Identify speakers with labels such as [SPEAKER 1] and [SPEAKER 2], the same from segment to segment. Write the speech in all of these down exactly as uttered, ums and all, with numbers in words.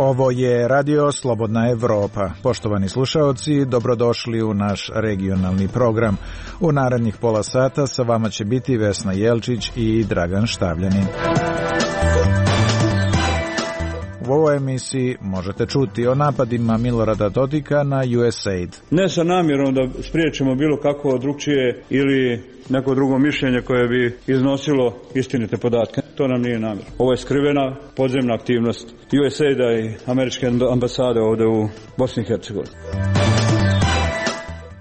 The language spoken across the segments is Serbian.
[SPEAKER 1] Ovo je Radio Slobodna Evropa. Poštovani slušaoci, dobrodošli u naš regionalni program. U narednih pola sata sa vama će biti Vesna Jelčić i Dragan Štavljanin. U ovoj emisiji možete čuti o napadima Milorada Dodika na U S A I D.
[SPEAKER 2] Ne sa namjerom da spriječimo bilo kako drugčije ili neko drugo mišljenje koje bi iznosilo istinite podatke. To nam nije namjer. Ovo je skrivena podzemna aktivnost U S A I D-a i američke ambasade ovdje u Bosni i Hercegovini.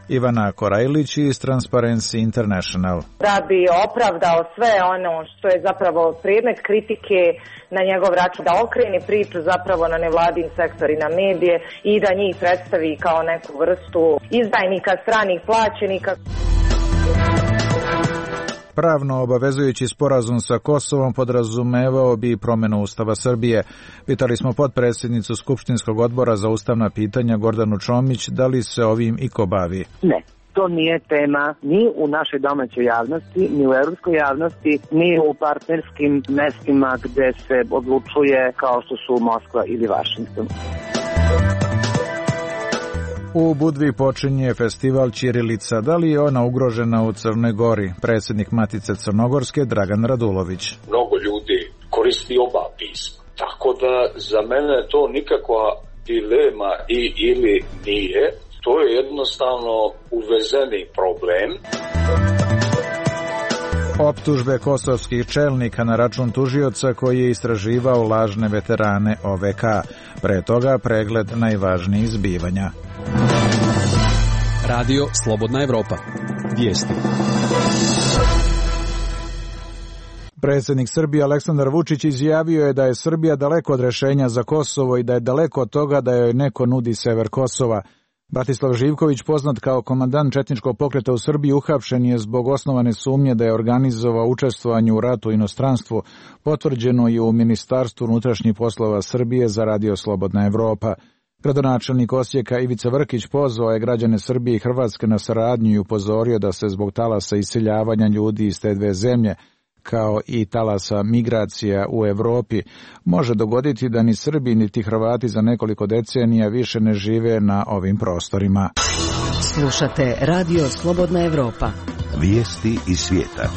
[SPEAKER 1] Ivana Korajlić iz Transparency International.
[SPEAKER 3] Da bi opravdao sve ono što je zapravo predmet kritike na njegov račun, da okreni priču zapravo na nevladin sektor i na medije i da njih predstavi kao neku vrstu izdajnika, stranih plaćenika.
[SPEAKER 1] Pravno obavezujući sporazum sa Kosovom podrazumevao bi promjenu Ustava Srbije. Pitali smo potpredsjednicu Skupštinskog odbora za ustavna pitanja Gordanu Čomić da li se ovim iko bavi.
[SPEAKER 4] Ne. To nije tema ni u našoj domaćoj javnosti, ni u europskoj javnosti, ni u partnerskim mestima gde se odlučuje kao što su Moskva ili Vašington.
[SPEAKER 1] U Budvi počinje festival Ćirilica. Da li je ona ugrožena u Crnoj Gori? Predsjednik Matice Crnogorske Dragan Radulović.
[SPEAKER 5] Mnogo ljudi koristi oba pisma, tako da za mene to nikakva dilema i ili nije. To je jednostavno uvezeni problem.
[SPEAKER 1] Optužbe kosovskih čelnika na račun tužioca koji je istraživao lažne veterane O V K. Pre toga pregled najvažnijih zbivanja.
[SPEAKER 6] Radio Slobodna Evropa. Vijesti.
[SPEAKER 1] Predsjednik Srbije Aleksandar Vučić izjavio je da je Srbija daleko od rješenja za Kosovo i da je daleko od toga da joj neko nudi sever Kosova. Bratislav Živković, poznat kao komandant četničkog pokreta u Srbiji, uhapšen je zbog osnovane sumnje da je organizovao učestvovanje u ratu u inostranstvu. Potvrđeno je u Ministarstvu unutrašnjih poslova Srbije za Radio Slobodna Evropa. Gradonačelnik Osijeka Ivica Vrkić pozvao je građane Srbije i Hrvatske na saradnju i upozorio da se zbog talasa iseljavanja ljudi iz te dve zemlje, kao i talasa migracija u Evropi, može dogoditi da ni Srbi niti Hrvati za nekoliko decenija više ne žive na ovim prostorima.
[SPEAKER 7] Slušate Radio Slobodna Evropa.
[SPEAKER 8] Vijesti iz svijeta.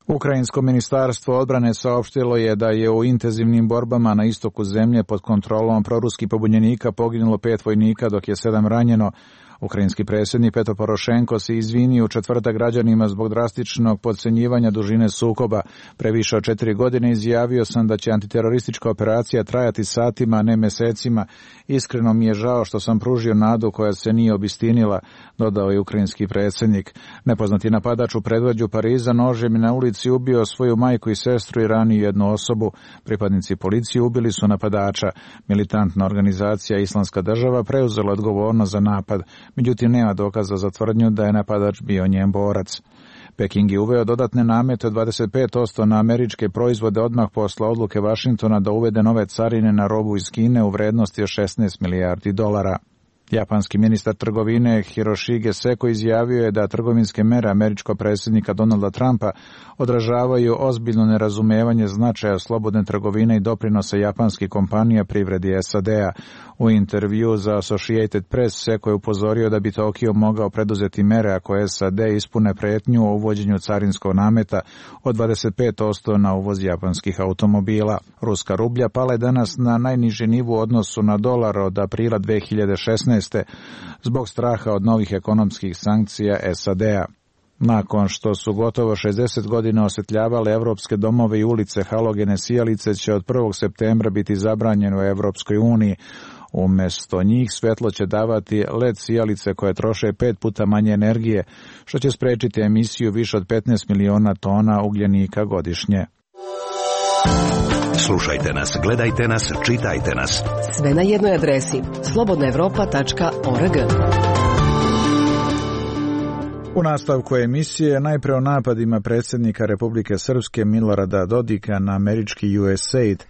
[SPEAKER 1] Ukrajinsko ministarstvo odbrane saopštilo je da je u intenzivnim borbama na istoku zemlje pod kontrolom proruskih pobunjenika poginulo pet vojnika dok je sedam ranjeno. Ukrajinski predsjednik Petro Porošenko se izvinio u četvrtak građanima zbog drastičnog podcenjivanja dužine sukoba. Pre više od četiri godine izjavio sam da će antiteroristička operacija trajati satima, a ne mesecima. Iskreno mi je žao što sam pružio nadu koja se nije obistinila, dodao je ukrajinski predsjednik. Nepoznati napadač u predgrađu Pariza nožem je na ulici ubio svoju majku i sestru i ranio jednu osobu. Pripadnici policije ubili su napadača. Militantna organizacija Islamska država preuzela odgovornost za napad. Međutim, nema dokaza za tvrdnju da je napadač bio njen borac. Peking je uveo dodatne namete od dvadeset pet posto na američke proizvode odmah posle odluke Vašingtona da uvede nove carine na robu iz Kine u vrednosti od šesnaest milijardi dolara. Japanski ministar trgovine Hiroshige Seko izjavio je da trgovinske mere američkog predsjednika Donalda Trumpa odražavaju ozbiljno nerazumevanje značaja slobodne trgovine i doprinosa japanskih kompanija privredi S A D-a. U intervju za Associated Press Seko je upozorio da bi Tokio mogao preduzeti mere ako S A D ispune pretnju o uvođenju carinskog nameta od dvadeset pet posto na uvoz japanskih automobila. Ruska rublja pala je danas na najniži nivo u odnosu na dolar od aprila dve hiljade šesnaeste. zbog straha od novih ekonomskih sankcija S A D-a. Nakon što su gotovo šezdeset godina osvetljavale evropske domove i ulice, halogene sijalice će od prvog septembra biti zabranjene u Evropskoj uniji. Umjesto njih svetlo će davati L E D sijalice koje troše pet puta manje energije, što će spriječiti emisiju više od petnaest miliona tona ugljenika godišnje.
[SPEAKER 8] Slušajte nas, gledajte nas, čitajte nas.
[SPEAKER 7] Sve na jednoj adresi slobodna evropa tačka org.
[SPEAKER 1] U nastavku emisije najpre o napadima predsjednika Republike Srpske Milorada Dodika na američki U S A I D,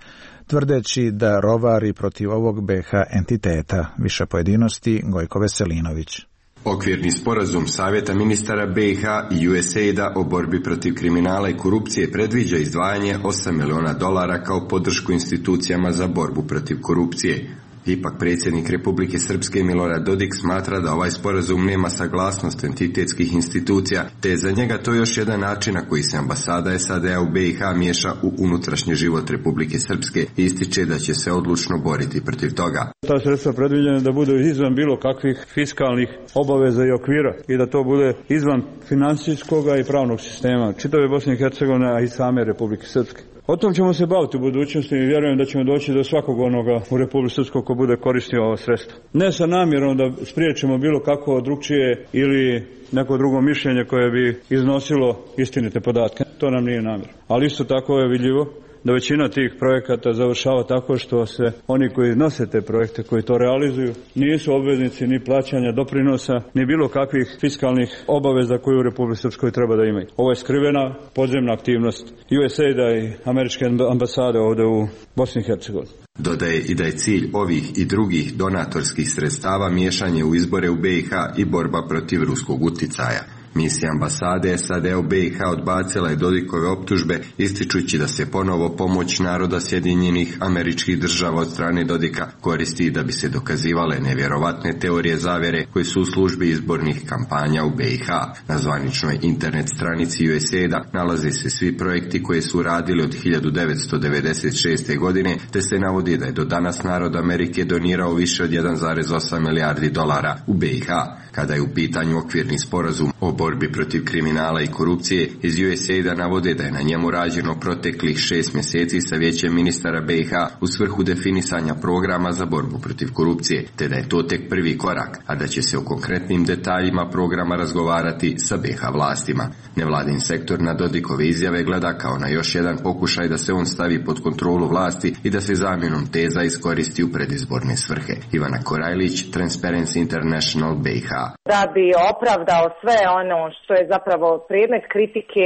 [SPEAKER 1] tvrdeći da rovari protiv ovog B H entiteta. Više pojedinosti Gojko Veselinović.
[SPEAKER 9] Okvirni sporazum Savjeta ministara B i H i U S A I D-a o borbi protiv kriminala i korupcije predviđa izdvajanje osam miliona dolara kao podršku institucijama za borbu protiv korupcije. Ipak predsjednik Republike Srpske Milorad Dodik smatra da ovaj sporazum nema saglasnost entitetskih institucija, te je za njega to još jedan način na koji se ambasada S A D-a u B i H miješa u unutrašnji život Republike Srpske i ističe da će se odlučno boriti protiv toga.
[SPEAKER 2] Ta sredstva predviđena da budu izvan bilo kakvih fiskalnih obaveza i okvira i da to bude izvan financijskog i pravnog sistema čitave Bosne i Hercegovine, a i same Republike Srpske. O tom ćemo se baviti u budućnosti i vjerujem da ćemo doći do svakog onoga u Republici Srpskoj ko bude koristio ova sredstva. Ne sa namjerom da spriječimo bilo kako drugčije ili neko drugo mišljenje koje bi iznosilo istinite podatke. To nam nije namjer. Ali isto tako je vidljivo da većina tih projekata završava tako što se oni koji nose te projekte, koji to realizuju, nisu obveznici ni plaćanja doprinosa, ni bilo kakvih fiskalnih obaveza koje u Republici Srpskoj treba da imaju. Ovo je skrivena podzemna aktivnost U S A I D-a i američke ambasade ovdje u Bosni i Hercegovini.
[SPEAKER 9] Dodaje i da je cilj ovih i drugih donatorskih sredstava miješanje u izbore u B i H i borba protiv ruskog uticaja. Misija ambasade S A D-a u B i H odbacila je Dodikove optužbe, ističući da se ponovo pomoć naroda Sjedinjenih Američkih Država od strane Dodika koristi da bi se dokazivale nevjerovatne teorije zavjere koje su u službi izbornih kampanja u B i H. Na zvaničnoj internet stranici U S A I D-a nalaze se svi projekti koje su radili od hiljadu devetsto devedeset šeste. godine, te se navodi da je do danas narod Amerike donirao više od jedan zarez osam milijardi dolara u B i H. Kada je u pitanju okvirni sporazum o borbi protiv kriminala i korupcije, iz U S A I D-a navode da je na njemu rađeno proteklih šest mjeseci sa vijećem ministara B i H u svrhu definisanja programa za borbu protiv korupcije, te da je to tek prvi korak, a da će se o konkretnim detaljima programa razgovarati sa B i H vlastima. Nevladin sektor na Dodikove izjave gleda kao na još jedan pokušaj da se on stavi pod kontrolu vlasti i da se zamjenom teza iskoristi u predizborne svrhe. Ivana Korajlić, Transparency International, B i H.
[SPEAKER 3] Da bi opravdao sve ono što je zapravo predmet kritike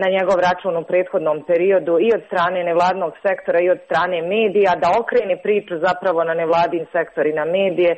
[SPEAKER 3] na njegov račun u prethodnom periodu i od strane nevladnog sektora i od strane medija, da okrene priču zapravo na nevladin sektor i na medije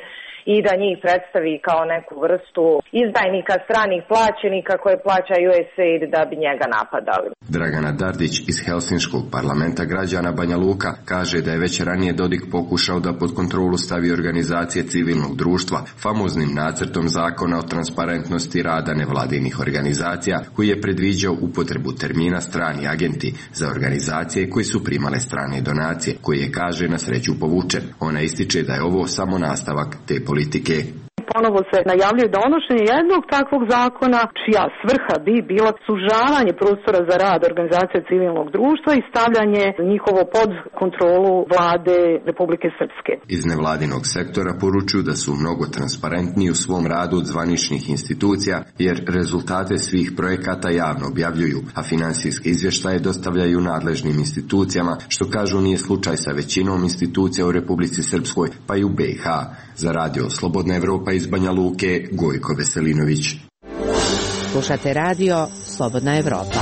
[SPEAKER 3] i da njih predstavi kao neku vrstu izdajnika, stranih plaćenika koje plaća U S A I D da bi njega napadali.
[SPEAKER 9] Dragana Dardić iz Helsinškog parlamenta građana Banja Luka kaže da je već ranije Dodik pokušao da pod kontrolu stavi organizacije civilnog društva famoznim nacrtom zakona o transparentnosti rada nevladinih organizacija koji je predviđao upotrebu termina strani agenti za organizacije koji su primale strane donacije, koji je, kaže, na sreću povučen. Ona ističe da je ovo samo nastavak te politike.
[SPEAKER 10] Ponovo se najavljuje donošenje jednog takvog zakona čija svrha bi bila sužavanje prostora za rad organizacija civilnog društva i stavljanje njihovo pod kontrolu vlade Republike Srpske.
[SPEAKER 9] Iz nevladinog sektora poručuju da su mnogo transparentniji u svom radu od zvaničnih institucija jer rezultate svih projekata javno objavljuju, a finansijske izvještaje dostavljaju nadležnim institucijama, što kažu nije slučaj sa većinom institucija u Republici Srpskoj pa i u B i H. Za radio Slobodna Evropa iz Banja Luke, Gojko Veselinović.
[SPEAKER 7] Slušate radio Slobodna Evropa.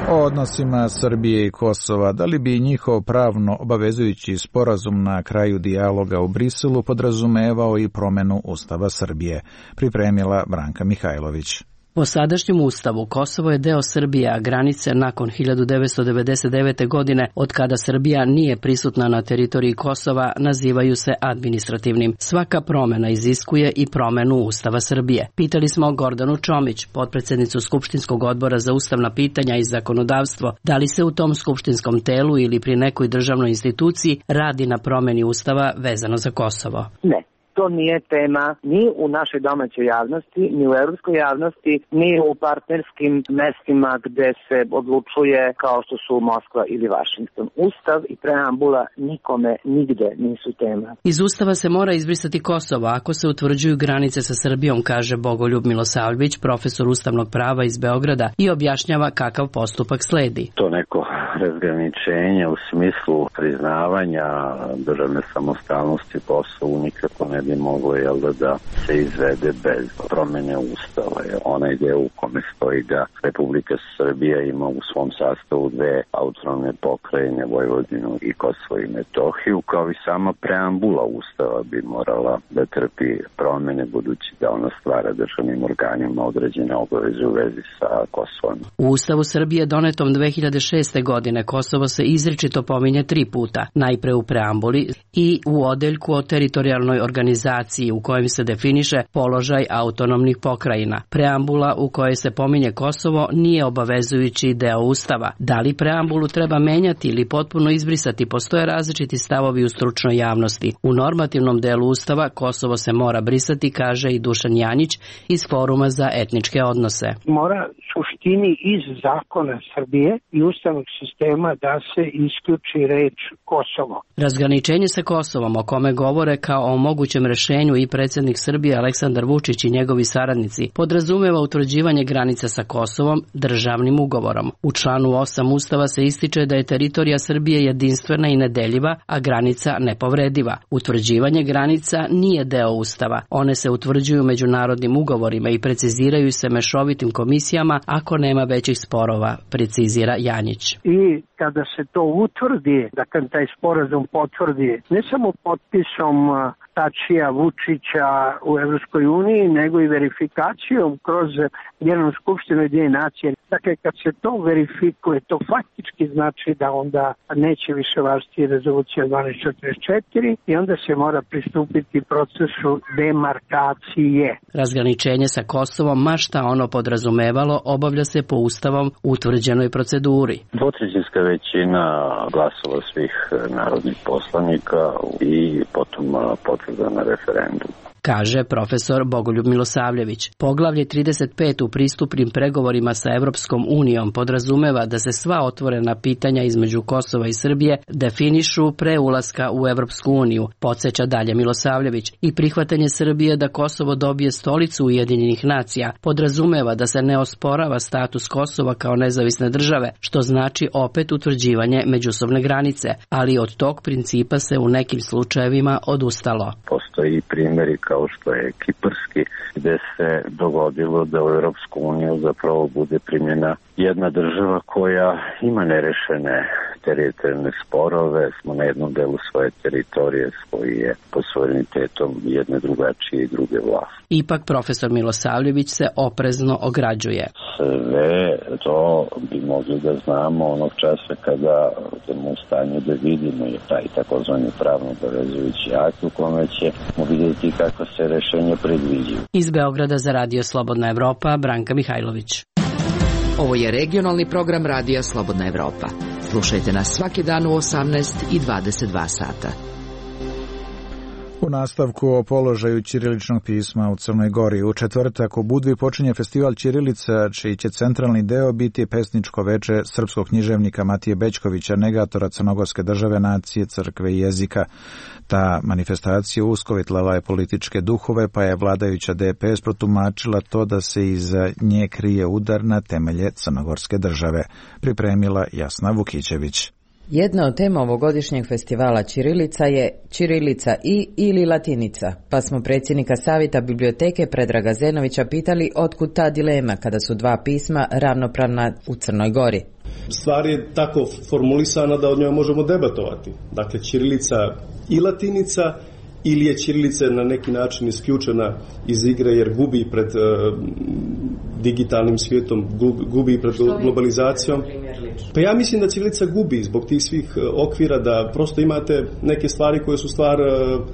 [SPEAKER 1] O odnosima Srbije i Kosova, da li bi njihov pravno obavezujući sporazum na kraju dijaloga u Briselu podrazumevao i promjenu Ustava Srbije, pripremila Branka Mihajlović.
[SPEAKER 11] Po sadašnjem ustavu Kosovo je deo Srbije, a granice nakon hiljadu devetsto devedeset devete. godine, od kada Srbija nije prisutna na teritoriji Kosova, nazivaju se administrativnim. Svaka promjena iziskuje i promjenu Ustava Srbije. Pitali smo Gordanu Čomić, potpredsjednicu Skupštinskog odbora za ustavna pitanja i zakonodavstvo, da li se u tom skupštinskom telu ili pri nekoj državnoj instituciji radi na promjeni Ustava vezano za Kosovo.
[SPEAKER 4] Ne. To nije tema ni u našoj domaćoj javnosti, ni u europskoj javnosti, ni u partnerskim mestima gde se odlučuje kao što su Moskva ili Vašington. Ustav i preambula nikome nigde nisu tema.
[SPEAKER 11] Iz Ustava se mora izbrisati Kosovo ako se utvrđuju granice sa Srbijom, kaže Bogoljub Milosavljević, profesor ustavnog prava iz Beograda, i objašnjava kakav postupak sledi.
[SPEAKER 12] To neko razgraničenje u smislu priznavanja državne samostalnosti Kosovu nikako ne bi moglo jel, da, da se izvede bez promene ustava. Jer onaj deo u kome stoji da Republika Srbija ima u svom sastavu dve autonomne pokrajine, Vojvodinu i Kosovo i Metohiju, kao i sama preambula ustava bi morala da trpi promene, budući da ona stvara državnim organima određene obaveze u vezi sa Kosovom.
[SPEAKER 11] U Ustavu Srbije donetom dve hiljade šeste. godine Kosovo se izričito pominje tri puta, najpre u preambuli i u odeljku o teritorijalnoj organizaciji u kojem se definiše položaj autonomnih pokrajina. Preambula u kojoj se pominje Kosovo nije obavezujući deo Ustava. Da li preambulu treba menjati ili potpuno izbrisati, postoje različiti stavovi u stručnoj javnosti. U normativnom delu Ustava Kosovo se mora brisati, kaže i Dušan Janjić iz Foruma za etničke odnose.
[SPEAKER 13] Mora suštini iz zakona Srbije i ustavnog sistema da se isključi reč Kosovo.
[SPEAKER 11] Razgraničenje sa Kosovom, o kome govore kao o mogućem rešenju i predsjednik Srbije Aleksandar Vučić i njegovi saradnici, podrazumeva utvrđivanje granica sa Kosovom državnim ugovorom. U članu osam Ustava se ističe da je teritorija Srbije jedinstvena i nedeljiva, a granica nepovrediva. Utvrđivanje granica nije deo Ustava. One se utvrđuju međunarodnim ugovorima i preciziraju se mešovitim komisijama ako nema većih sporova, precizira Janjić.
[SPEAKER 13] I kada se to utvrdi, da kad taj sporazum potvrdi ne samo potpisom Tačija, Vučića u Evropskoj uniji, nego i verifikacijom kroz Generalnu skupštinu Ujedinjenih nacija. Dakle, kad se to verifikuje, to faktički znači da onda neće više važiti rezolucija dvanaest četrdeset četiri i onda se mora pristupiti procesu demarkacije.
[SPEAKER 11] Razgraničenje sa Kosovom, ma šta ono podrazumevalo, obavlja se po ustavom utvrđenoj proceduri.
[SPEAKER 12] Dvotrećinska većina glasova svih narodnih poslanika i potom potvrda na referendum,
[SPEAKER 11] kaže profesor Bogoljub Milosavljević. Poglavlje trideset pet u pristupnim pregovorima sa Evropskom unijom podrazumeva da se sva otvorena pitanja između Kosova i Srbije definišu pre ulaska u Evropsku uniju, podsjeća dalje Milosavljević, i prihvatanje Srbije da Kosovo dobije stolicu Ujedinjenih nacija podrazumeva da se ne osporava status Kosova kao nezavisne države, što znači opet utvrđivanje međusobne granice, ali od tog principa se u nekim slučajevima odustalo.
[SPEAKER 12] Postoji primjeri kao kao što je kiparski, gde se dogodilo da u Europsku uniju zapravo bude primjena jedna država koja ima nerešene teritorijalne sporove, smo na jednom delu svoje teritorije koji je pod suverenitetom jedne drugačije i druge vlasti.
[SPEAKER 11] Ipak profesor Milosavljević se oprezno ograđuje.
[SPEAKER 12] Sve to bi mogli da znamo onog časa kada budemo u stanju da vidimo je taj takozvani pravno obavezujući akt u kome ćemo vidjeti kako se rešenje predviđaju.
[SPEAKER 11] Iz Beograda za Radio Slobodna Evropa, Branka Mihajlović.
[SPEAKER 7] Ovo je regionalni program Radija Slobodna Evropa. Slušajte nas svaki dan u osamnaest i dvadeset dva sata.
[SPEAKER 1] U nastavku o položaju ćiriličnog pisma u Crnoj Gori. U četvrtak u Budvi počinje festival ćirilica, čiji će centralni deo biti pesničko veče srpskog književnika Matije Bećkovića, negatora crnogorske države, nacije, crkve i jezika. Ta manifestacija uskovitljala je političke duhove, pa je vladajuća D P S protumačila to da se iza nje krije udar na temelje crnogorske države. Pripremila Jasna Vukićević.
[SPEAKER 14] Jedna od tema ovogodišnjeg festivala ćirilica je ćirilica i ili latinica, pa smo predsjednika Savjeta biblioteke Predraga Zenovića pitali otkud ta dilema kada su dva pisma ravnopravna u Crnoj Gori.
[SPEAKER 15] Stvar je tako formulisana da od njoj možemo debatovati. Dakle, ćirilica i latinica, ili je ćirilica na neki način isključena iz igre jer gubi pred uh, digitalnim svijetom, gubi pred globalizacijom. Pa ja mislim da ćirilica gubi zbog tih svih uh, okvira, da prosto imate neke stvari koje su stvar, uh,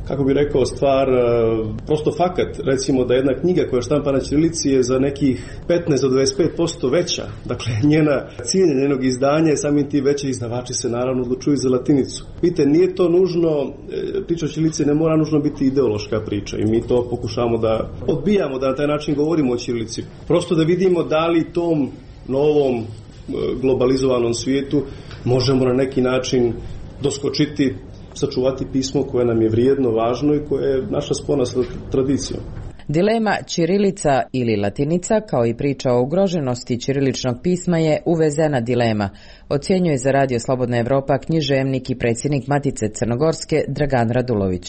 [SPEAKER 15] kako bi rekao, stvar uh, prosto fakat. Recimo da jedna knjiga koja je štampana na ćirilici je za nekih petnaest do dvadeset pet posto veća. Dakle, njena cijenje njenog izdanja je samim tim veće, izdavači se naravno odlučuju za latinicu. Vidite, nije to nužno, priča o ćirilici ne mora nužno biti ideološka priča i mi to pokušamo da odbijamo, da na taj način govorimo o ćirilici. Prosto da vidimo da li tom novom globalizovanom svijetu možemo na neki način doskočiti, sačuvati pismo koje nam je vrijedno, važno i koje je naša spona sa tradicijom.
[SPEAKER 14] Dilema ćirilica ili latinica, kao i priča o ugroženosti ćiriličnog pisma, je uvezena dilema, ocjenjuje za Radio Slobodna Evropa književnik i predsjednik Matice Crnogorske Dragan Radulović.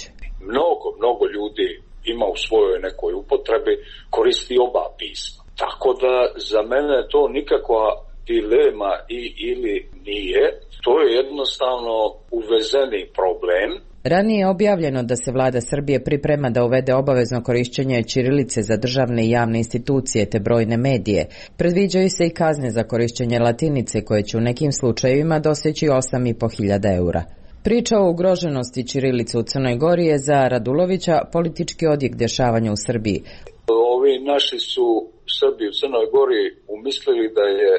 [SPEAKER 5] Mnogo, mnogo ljudi ima u svojoj nekoj upotrebi, koristi oba pisma. Tako da za mene to nikakva dilema i ili nije, to je jednostavno uvezeni problem.
[SPEAKER 14] Ranije je objavljeno da se vlada Srbije priprema da uvede obavezno korišćenje ćirilice za državne i javne institucije te brojne medije. Predviđaju se i kazne za korišćenje latinice koje će u nekim slučajevima doseći osam i po hiljada eura. Priča o ugroženosti ćirilice u Crnoj Gori je za Radulovića politički odjek dešavanja u Srbiji.
[SPEAKER 5] Ovi naši su Srbi u Crnoj Gori umislili da je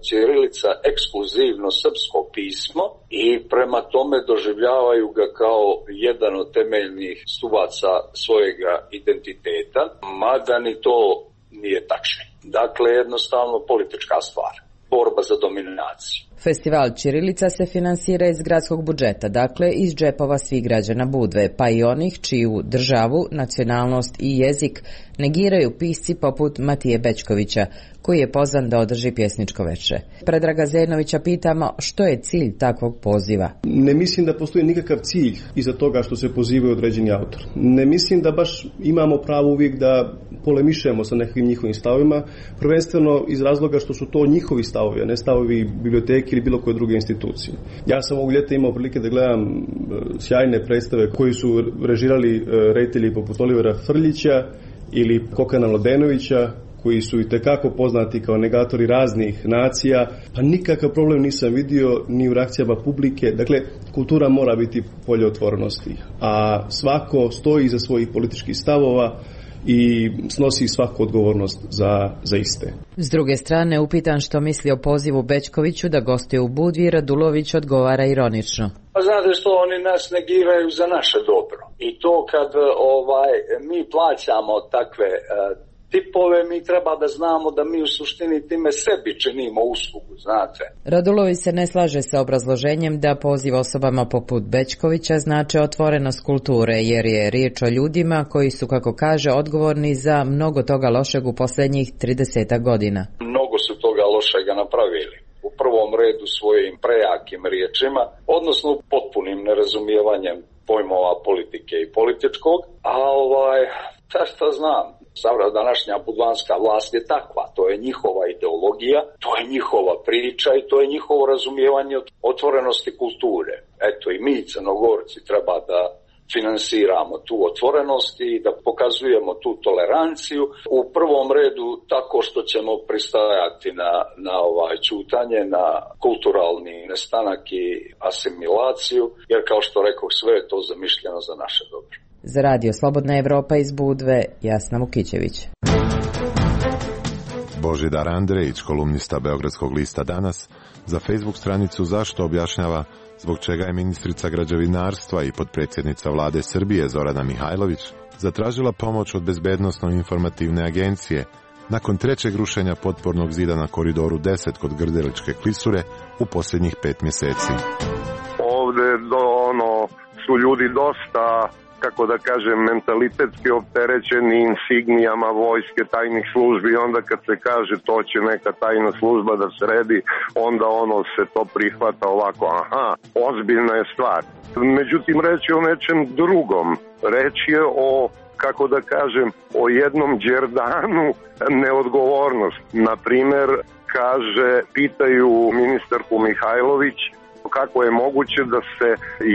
[SPEAKER 5] ćirilica ekskluzivno srpsko pismo i prema tome doživljavaju ga kao jedan od temeljnih stubaca svojega identiteta, mada ni to nije tačno. Dakle, jednostavno politička stvar, borba za dominaciju.
[SPEAKER 14] Festival ćirilica se finansira iz gradskog budžeta, dakle iz džepova svih građana Budve, pa i onih čiju državu, nacionalnost i jezik negiraju pisci poput Matije Bećkovića, koji je pozvan da održi pjesničko veče. Predraga Zenovića pitamo što je cilj takvog poziva.
[SPEAKER 15] Ne mislim da postoji nikakav cilj iza toga što se pozivaju određeni autor. Ne mislim da baš imamo pravo uvijek da polemišemo sa nekim njihovim stavovima, prvenstveno iz razloga što su to njihovi stavovi, a ne stavovi biblioteke ili bilo koje druge institucije. Ja sam ovog ljeta imao prilike da gledam sjajne predstave koji su režirali reditelji poput Olivera Frljića ili Kokana Mladenovića, koji su i tekako poznati kao negatori raznih nacija, pa nikakav problem nisam vidio ni u reakcijama publike. Dakle, kultura mora biti polje otvorenosti, a svako stoji iza svojih političkih stavova i snosi svaku odgovornost za, za iste.
[SPEAKER 14] S druge strane, upitan što misli o pozivu Bećkoviću da gostuje u Budvi, Radulović odgovara ironično.
[SPEAKER 5] Pa znate što, oni nas negiraju za naše dobro. I to kad ovaj mi plaćamo takve uh, tipove, mi treba da znamo da mi u suštini time sebi činimo uslugu, znate.
[SPEAKER 14] Radulović se ne slaže sa obrazloženjem da poziv osobama poput Bećkovića znače otvorenost kulture, jer je riječ o ljudima koji su, kako kaže, odgovorni za mnogo toga lošeg u posljednjih trideset godina.
[SPEAKER 5] Mnogo su toga lošega napravili. U prvom redu svojim prejakim riječima, odnosno potpunim nerazumijevanjem pojmova politike i političkog, a ovaj, ta šta znam, Savra današnja budvanska vlast je takva, to je njihova ideologija, to je njihova priča i to je njihovo razumijevanje otvorenosti kulture. Eto i mi Crnogorci treba da finansiramo tu otvorenost i da pokazujemo tu toleranciju u prvom redu tako što ćemo pristajati na, na ovaj ćutanje, na kulturalni nestanak i asimilaciju, jer kao što rekao, sve je to zamišljeno za naše dobro.
[SPEAKER 14] Za Radio Slobodna Evropa iz Budve, Jasna Vukićević.
[SPEAKER 16] Božidar Andrejić, kolumnista Beogradskog lista Danas, za Facebook stranicu Zašto objašnjava zbog čega je ministrica građevinarstva i potpredsjednica vlade Srbije Zorana Mihajlović zatražila pomoć od Bezbednosno-informativne agencije nakon trećeg rušenja potpornog zida na koridoru deset kod Grdeličke klisure u posljednjih pet mjeseci.
[SPEAKER 17] Ovde do ono su ljudi dosta, kako da kažem, mentalitetski opterećeni insignijama vojske, tajnih službi, i onda kad se kaže to će neka tajna služba da sredi, onda ono se to prihvata ovako, aha, ozbiljna je stvar. Međutim, reč je o nečem drugom. Reč je o, kako da kažem, o jednom đerdanu neodgovornosti. Naprimer, kaže, pitaju ministarku Mihajlović kako je moguće da se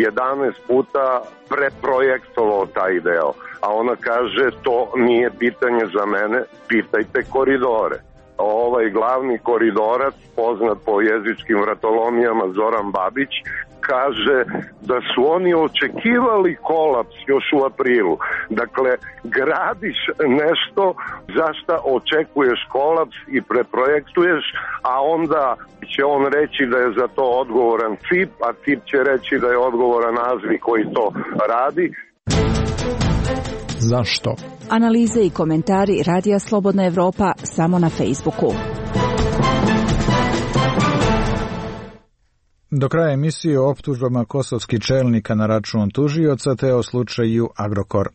[SPEAKER 17] jedanaest puta preprojektovao taj deo. A ona kaže, to nije pitanje za mene, pitajte koridore. Ovaj glavni koridorac, poznat po jezičkim vratolomijama Zoran Babić, kaže da su oni očekivali kolaps još u aprilu. Dakle, gradiš nešto za šta očekuješ kolaps i preprojektuješ, a onda će on reći da je za to odgovoran C I P, a C I P će reći da je odgovoran Azvi koji to radi.
[SPEAKER 18] Zašto? Analize i komentari Radija Slobodna Evropa samo na Facebooku.
[SPEAKER 1] Do kraja emisije o optužbama kosovskih čelnika na račun tužioca te o slučaju Agrokor.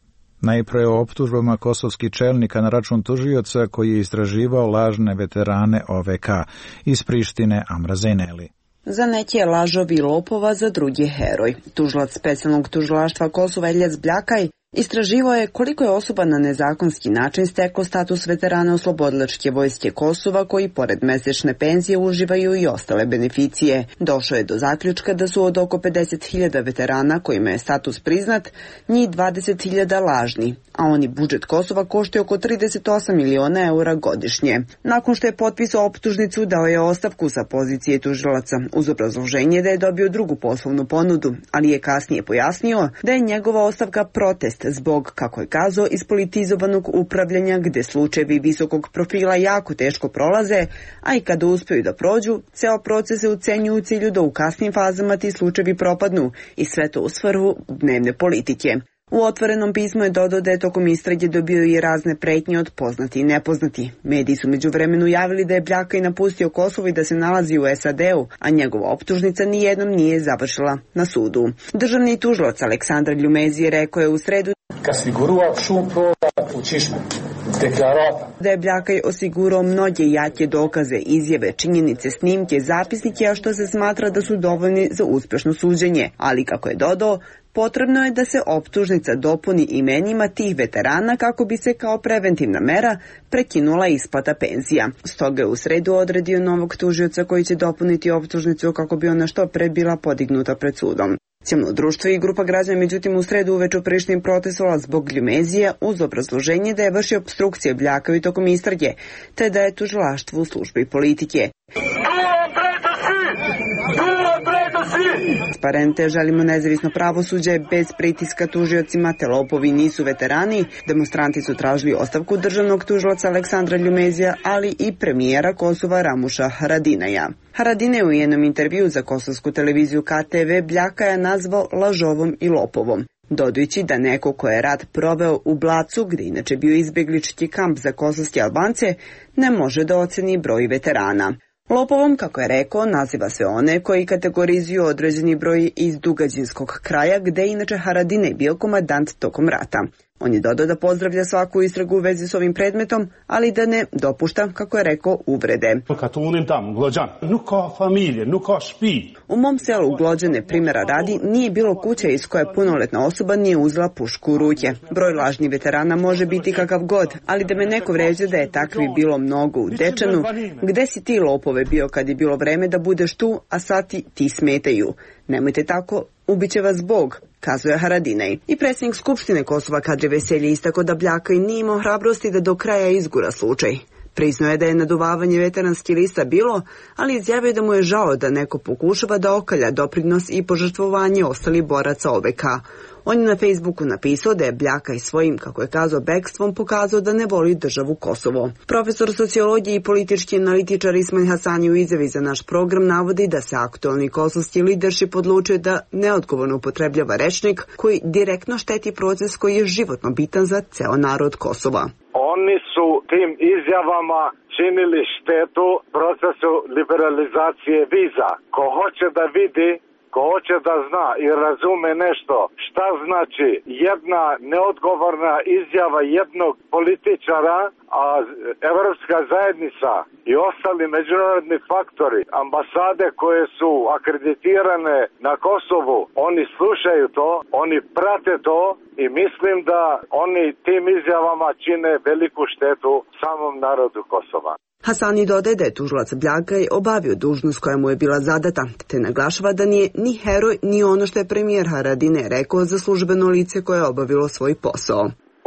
[SPEAKER 1] Najpre o optužbama kosovskih čelnika na račun tužioca koji je istraživao lažne veterane O V K iz Prištine Amra Zeneli.
[SPEAKER 19] Za neke je lažov i lopova, za drugi heroj. Tužilac specijalnog tužilaštva Kosova Eljac Bljakaj istraživao je koliko je osoba na nezakonski način steklo status veterana oslobodilačke vojske Kosova koji pored mesečne penzije uživaju i ostale beneficije. Došao je do zaključka da su od oko pedeset hiljada veterana kojima je status priznat, njih dvadeset hiljada lažni, a oni budžet Kosova koštaju oko trideset osam miliona eura godišnje. Nakon što je potpisao optužnicu, dao je ostavku sa pozicije tužilaca uz obrazloženje da je dobio drugu poslovnu ponudu, ali je kasnije pojasnio da je njegova ostavka protest zbog, kako je kazao, ispolitizovanog upravljanja gde slučajevi visokog profila jako teško prolaze, a i kada uspeju da prođu, ceo proces se ucenjuje u cilju da u kasnim fazama ti slučajevi propadnu i sve to u svrhu dnevne politike. U otvorenom pismu je dodao da je tokom istrage dobio i razne pretnje od poznati i nepoznati. Mediji su međuvremenu javili da je Bljakaj napustio Kosovo i da se nalazi u S A D-u, a njegova optužnica nijednom nije završila na sudu. Državni tužilac Aleksandar Ljumezi rekao je u sredu da je Bljakaj osigurao mnoge jake dokaze, izjave, činjenice, snimke, zapisnike, a što se smatra da su dovoljni za uspešno suđenje, ali kako je dodao, potrebno je da se optužnica dopuni imenima tih veterana kako bi se kao preventivna mera prekinula isplata penzija. Stoga je u sredu odredio novog tužioca koji će dopuniti optužnicu kako bi ona što pre bila podignuta pred sudom. Civilno društvo i grupa građana međutim u sredu uveče u Prištini protestovala zbog Ljumezija uz obrazloženje da je vršio opstrukcije Bljakaju tokom istrage, te da je tužilaštvo u službi politike. Transparente, želimo nezavisno pravosuđe bez pritiska tužiocima, te lopovi nisu veterani. Demonstranti su tražili ostavku državnog tužilaca Aleksandra Ljumezija, ali i premijera Kosova Ramuša Haradinaja. Haradinaj je u jednom intervju za kosovsku televiziju K T V Bljakaja nazvao lažovom i lopovom, dodajući da neko ko je rat proveo u Blacu, gde inače bio izbeglički kamp za kosovske Albance, ne može da oceni broj veterana. Lopovom, kako je rekao, naziva se one koji kategorizuju određeni broj iz Dugađinskog kraja, gde je inače Haradinaj bio komandant tokom rata. On je dodao da pozdravlja svaku istragu u vezi s ovim predmetom, ali da ne dopušta, kako je rekao, uvrede. U mom selu Glođane, primjera radi, nije bilo kuće iz koje punoletna osoba nije uzela pušku u ruke. Broj lažnih veterana može biti kakav god, ali da me neko vređa da je takvi bilo mnogo u Dečanu, gde si ti lopove bio kad je bilo vreme da budeš tu, a sad ti, ti smetaju. Nemojte tako, ubiće vas Bog, kazuje Haradinaj. I predsjednik Skupštine Kosova Kadri Veselji istako da Bljakaj nije imao hrabrosti da do kraja izgura slučaj. Priznao je da je naduvavanje veteranskih lista bilo, ali izjavio da mu je žao da neko pokušava da okalja doprinos i požrtvovanje ostalih boraca O V K. On je na Facebooku napisao da je Bljakaj svojim, kako je kazao, bekstvom pokazao da ne voli državu Kosovo. Profesor sociologije i politički analitičar Ismail Hasani u izjavi za naš program navodi da se aktualni kosovski leadership odlučio da neodgovorno upotrebljava rečnik koji direktno šteti proces koji je životno bitan za ceo narod Kosova.
[SPEAKER 20] Oni su tim izjavama činili štetu procesu liberalizacije viza. Ko hoće da vidi, ko hoće da zna i razume nešto šta znači jedna neodgovorna izjava jednog političara, a Evropska zajednica i ostali međunarodni faktori, ambasade koje su akreditirane na Kosovu, oni slušaju to, oni prate to i mislim da oni tim izjavama čine veliku štetu samom narodu Kosova.
[SPEAKER 19] Hasani dodaje da je tužilac Bljakaj obavio dužnost koja mu je bila zadata, te naglašava da nije ni heroj ni ono što je premijer Haradinaj rekao za službeno lice koje je obavilo svoj posao.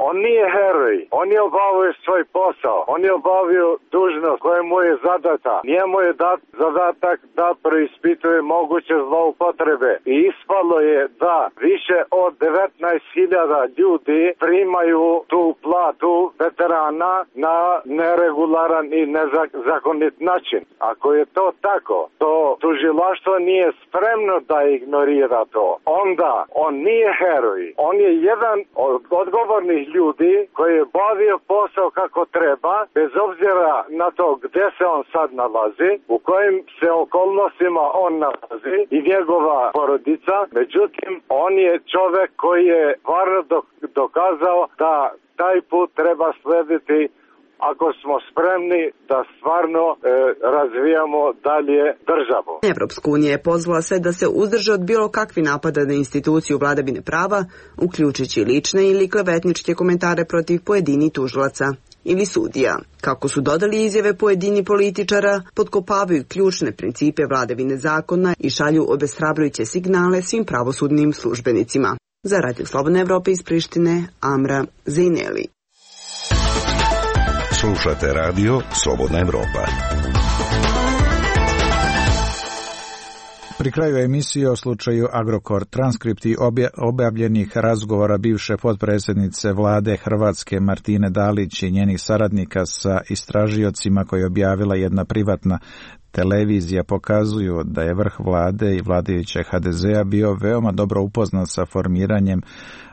[SPEAKER 20] On nije heroj, on je obavio svoj posao, on je obavio dužnost koja mu je zadata. Njemu je dat zadatak da preispituje moguće zloupotrebe i ispalo je da više od devetnaest hiljada ljudi primaju tu platu veterana na neregularan i nezakonit način. Ako je to tako, to tužilaštvo nije spremno da ignorira to. Onda on nije heroj, on je jedan od odgovornih ljudi koji je bavio posao kako treba, bez obzira na to gde se on sad nalazi, u kojim se okolnostima on nalazi i njegova porodica. Međutim, on je čovek koji je stvarno dokazao da taj put treba slediti ako smo spremni da stvarno e, razvijamo dalje državu.
[SPEAKER 19] Evropska unija je pozvala sve da se uzdrže od bilo kakvi napada na instituciju vladavine prava, uključujući lične ili klevetničke komentare protiv pojedini tužilaca ili sudija. Kako su dodali izjave pojedini političara, potkopavaju ključne principe vladavine zakona i šalju obeshrabrujuće signale svim pravosudnim službenicima. Za Radio Slobodna Evropa iz Prištine, Amra Zejneli.
[SPEAKER 8] Slušate radio Slobodna Evropa.
[SPEAKER 1] Pri kraju emisije o slučaju Agrokor, transkripti objavljenih razgovora bivše potpredsjednice vlade Hrvatske Martine Dalić i njenih saradnika sa istražiocima koje je objavila jedna privatna televizija pokazuju da je vrh vlade i vladajuće ha de zea bio veoma dobro upoznat sa formiranjem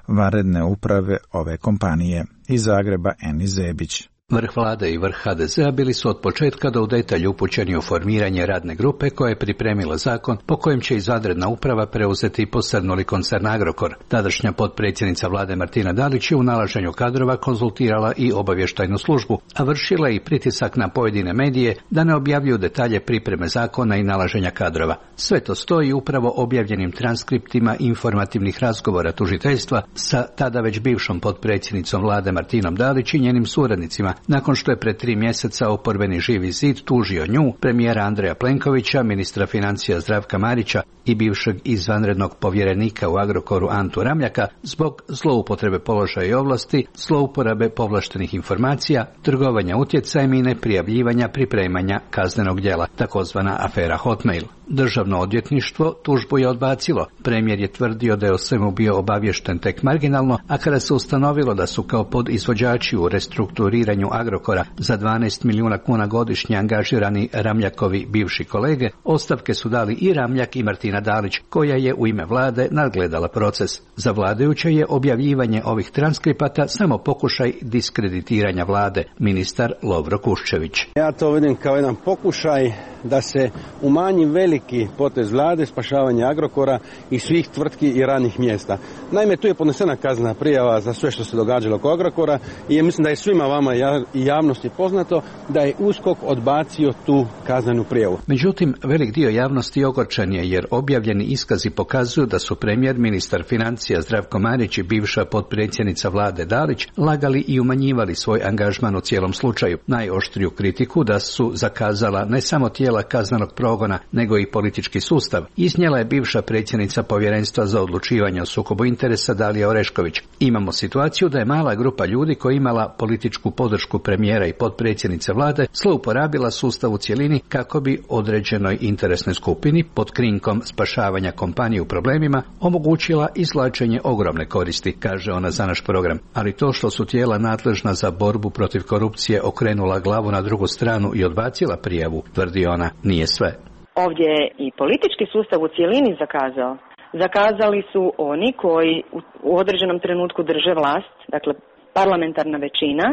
[SPEAKER 1] vanredne uprave ove kompanije. Iz Zagreba Eni Zebić.
[SPEAKER 21] Vrh vlade i vrh ha de zea bili su od početka do u detalj upućeni u formiranje radne grupe koja je pripremila zakon po kojem će izvanredna uprava preuzeti posrnuli koncern Agrokor. Tadašnja potpredsjednica vlade Martina Dalić je u nalaženju kadrova konzultirala i obavještajnu službu, a vršila i pritisak na pojedine medije da ne objavljuju detalje pripreme zakona i nalaženja kadrova. Sve to stoji upravo objavljenim transkriptima informativnih razgovora tužiteljstva sa tada već bivšom potpredsjednicom vlade Martinom Dalić i njenim suradnicima, nakon što je pred tri mjeseca oporbeni Živi zid tužio nju, premijera Andreja Plenkovića, ministra financija Zdravka Marića i bivšeg izvanrednog povjerenika u Agrokoru Antu Ramljaka zbog zloupotrebe položaja i ovlasti, zlouporabe povlaštenih informacija, trgovanja utjecajem i neprijavljivanja pripremanja kaznenog djela, takozvana afera Hotmail. Državno odvjetništvo tužbu je odbacilo. Premijer je tvrdio da je o svemu bio obavješten tek marginalno, a kada se ustanovilo da su kao podizvođači u restrukturiranju Agrokora za dvanaest milijuna kuna godišnje angažirani Ramljakovi bivši kolege, ostavke su dali i Ramljak i Martina Dalić, koja je u ime vlade nadgledala proces. Za vladajuće je objavljivanje ovih transkripata samo pokušaj diskreditiranja vlade, ministar Lovro Kuščević.
[SPEAKER 22] Ja to vidim kao jedan pokušaj da se umanji veliki potez vlade, spašavanje Agrokora i svih tvrtki i radnih mjesta. Naime, tu je podnesena kaznena prijava za sve što se događalo oko Agrokora i mislim da je svima vama i javnosti poznato da je USKOK odbacio tu kaznenu prijavu.
[SPEAKER 21] Međutim, velik dio javnosti ogorčen je jer objavljeni iskazi pokazuju da su premijer, ministar financija Zdravko Marić i bivša potpredsjednica vlade Dalić lagali i umanjivali svoj angažman u cijelom slučaju. Najoštriju kritiku da su zakazala ne samo tijela kaznenog progona, nego i politički sustav, iznijela je bivša predsjednica Povjerenstva za odlučivanje o sukobu interesa Dalija Orešković. Imamo situaciju da je mala grupa ljudi koja imala političku podršku premijera i potpredsjednice vlade zlouporabila sustav u cjelini kako bi određenoj interesnoj skupini pod krinkom spašavanja kompanije u problemima omogućila izvlačenje ogromne koristi, kaže ona za naš program. Ali to što su tijela nadležna za borbu protiv korupcije okrenula glavu na drugu stranu i odbacila prijavu, tvrdi ona, nije sve.
[SPEAKER 23] Ovdje je i politički sustav u cjelini zakazao. Zakazali su oni koji u određenom trenutku drže vlast, dakle parlamentarna većina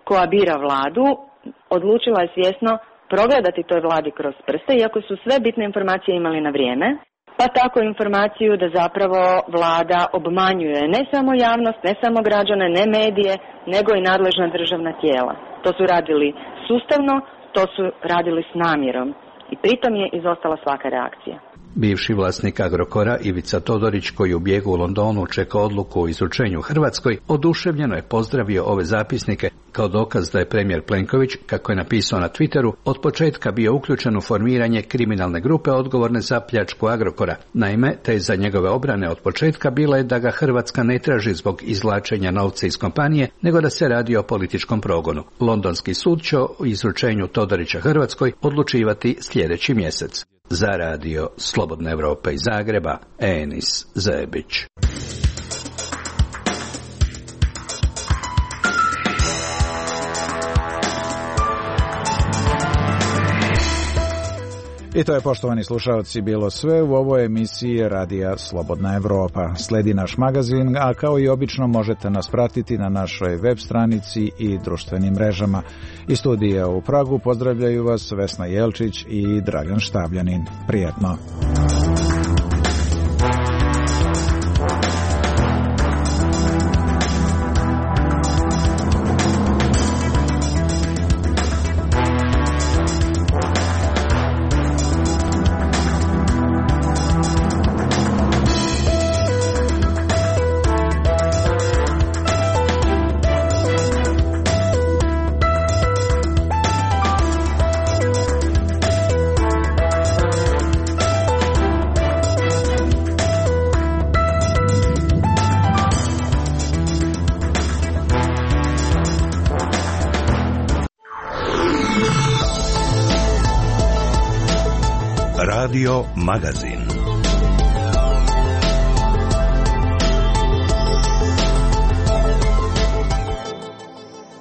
[SPEAKER 23] koja bira vladu, odlučila je svjesno progledati toj vladi kroz prste, iako su sve bitne informacije imali na vrijeme, pa tako informaciju da zapravo vlada obmanjuje ne samo javnost, ne samo građane, ne medije, nego i nadležna državna tijela. To su radili sustavno, to su radili s namjerom i pritom je izostala svaka reakcija.
[SPEAKER 21] Bivši vlasnik Agrokora Ivica Todorić, koji u bijegu u Londonu čeka odluku o izručenju Hrvatskoj, oduševljeno je pozdravio ove zapisnike kao dokaz da je premijer Plenković, kako je napisao na Twitteru, od početka bio uključen u formiranje kriminalne grupe odgovorne za pljačku Agrokora. Naime, teza njegove obrane od početka bila je da ga Hrvatska ne traži zbog izvlačenja novca iz kompanije, nego da se radi o političkom progonu. Londonski sud će o izručenju Todorića Hrvatskoj odlučivati sljedeći mjesec. Za radio Slobodna Evropa iz Zagreba, Enis Zebić.
[SPEAKER 1] I to je, poštovani slušalci, bilo sve u ovoj emisiji Radija Slobodna Evropa. Sledi naš magazin, a kao i obično možete nas pratiti na našoj web stranici i društvenim mrežama. Iz studija u Pragu pozdravljaju vas Vesna Jelčić i Dragan Štavljanin. Prijetno!
[SPEAKER 8] Radio Magazin.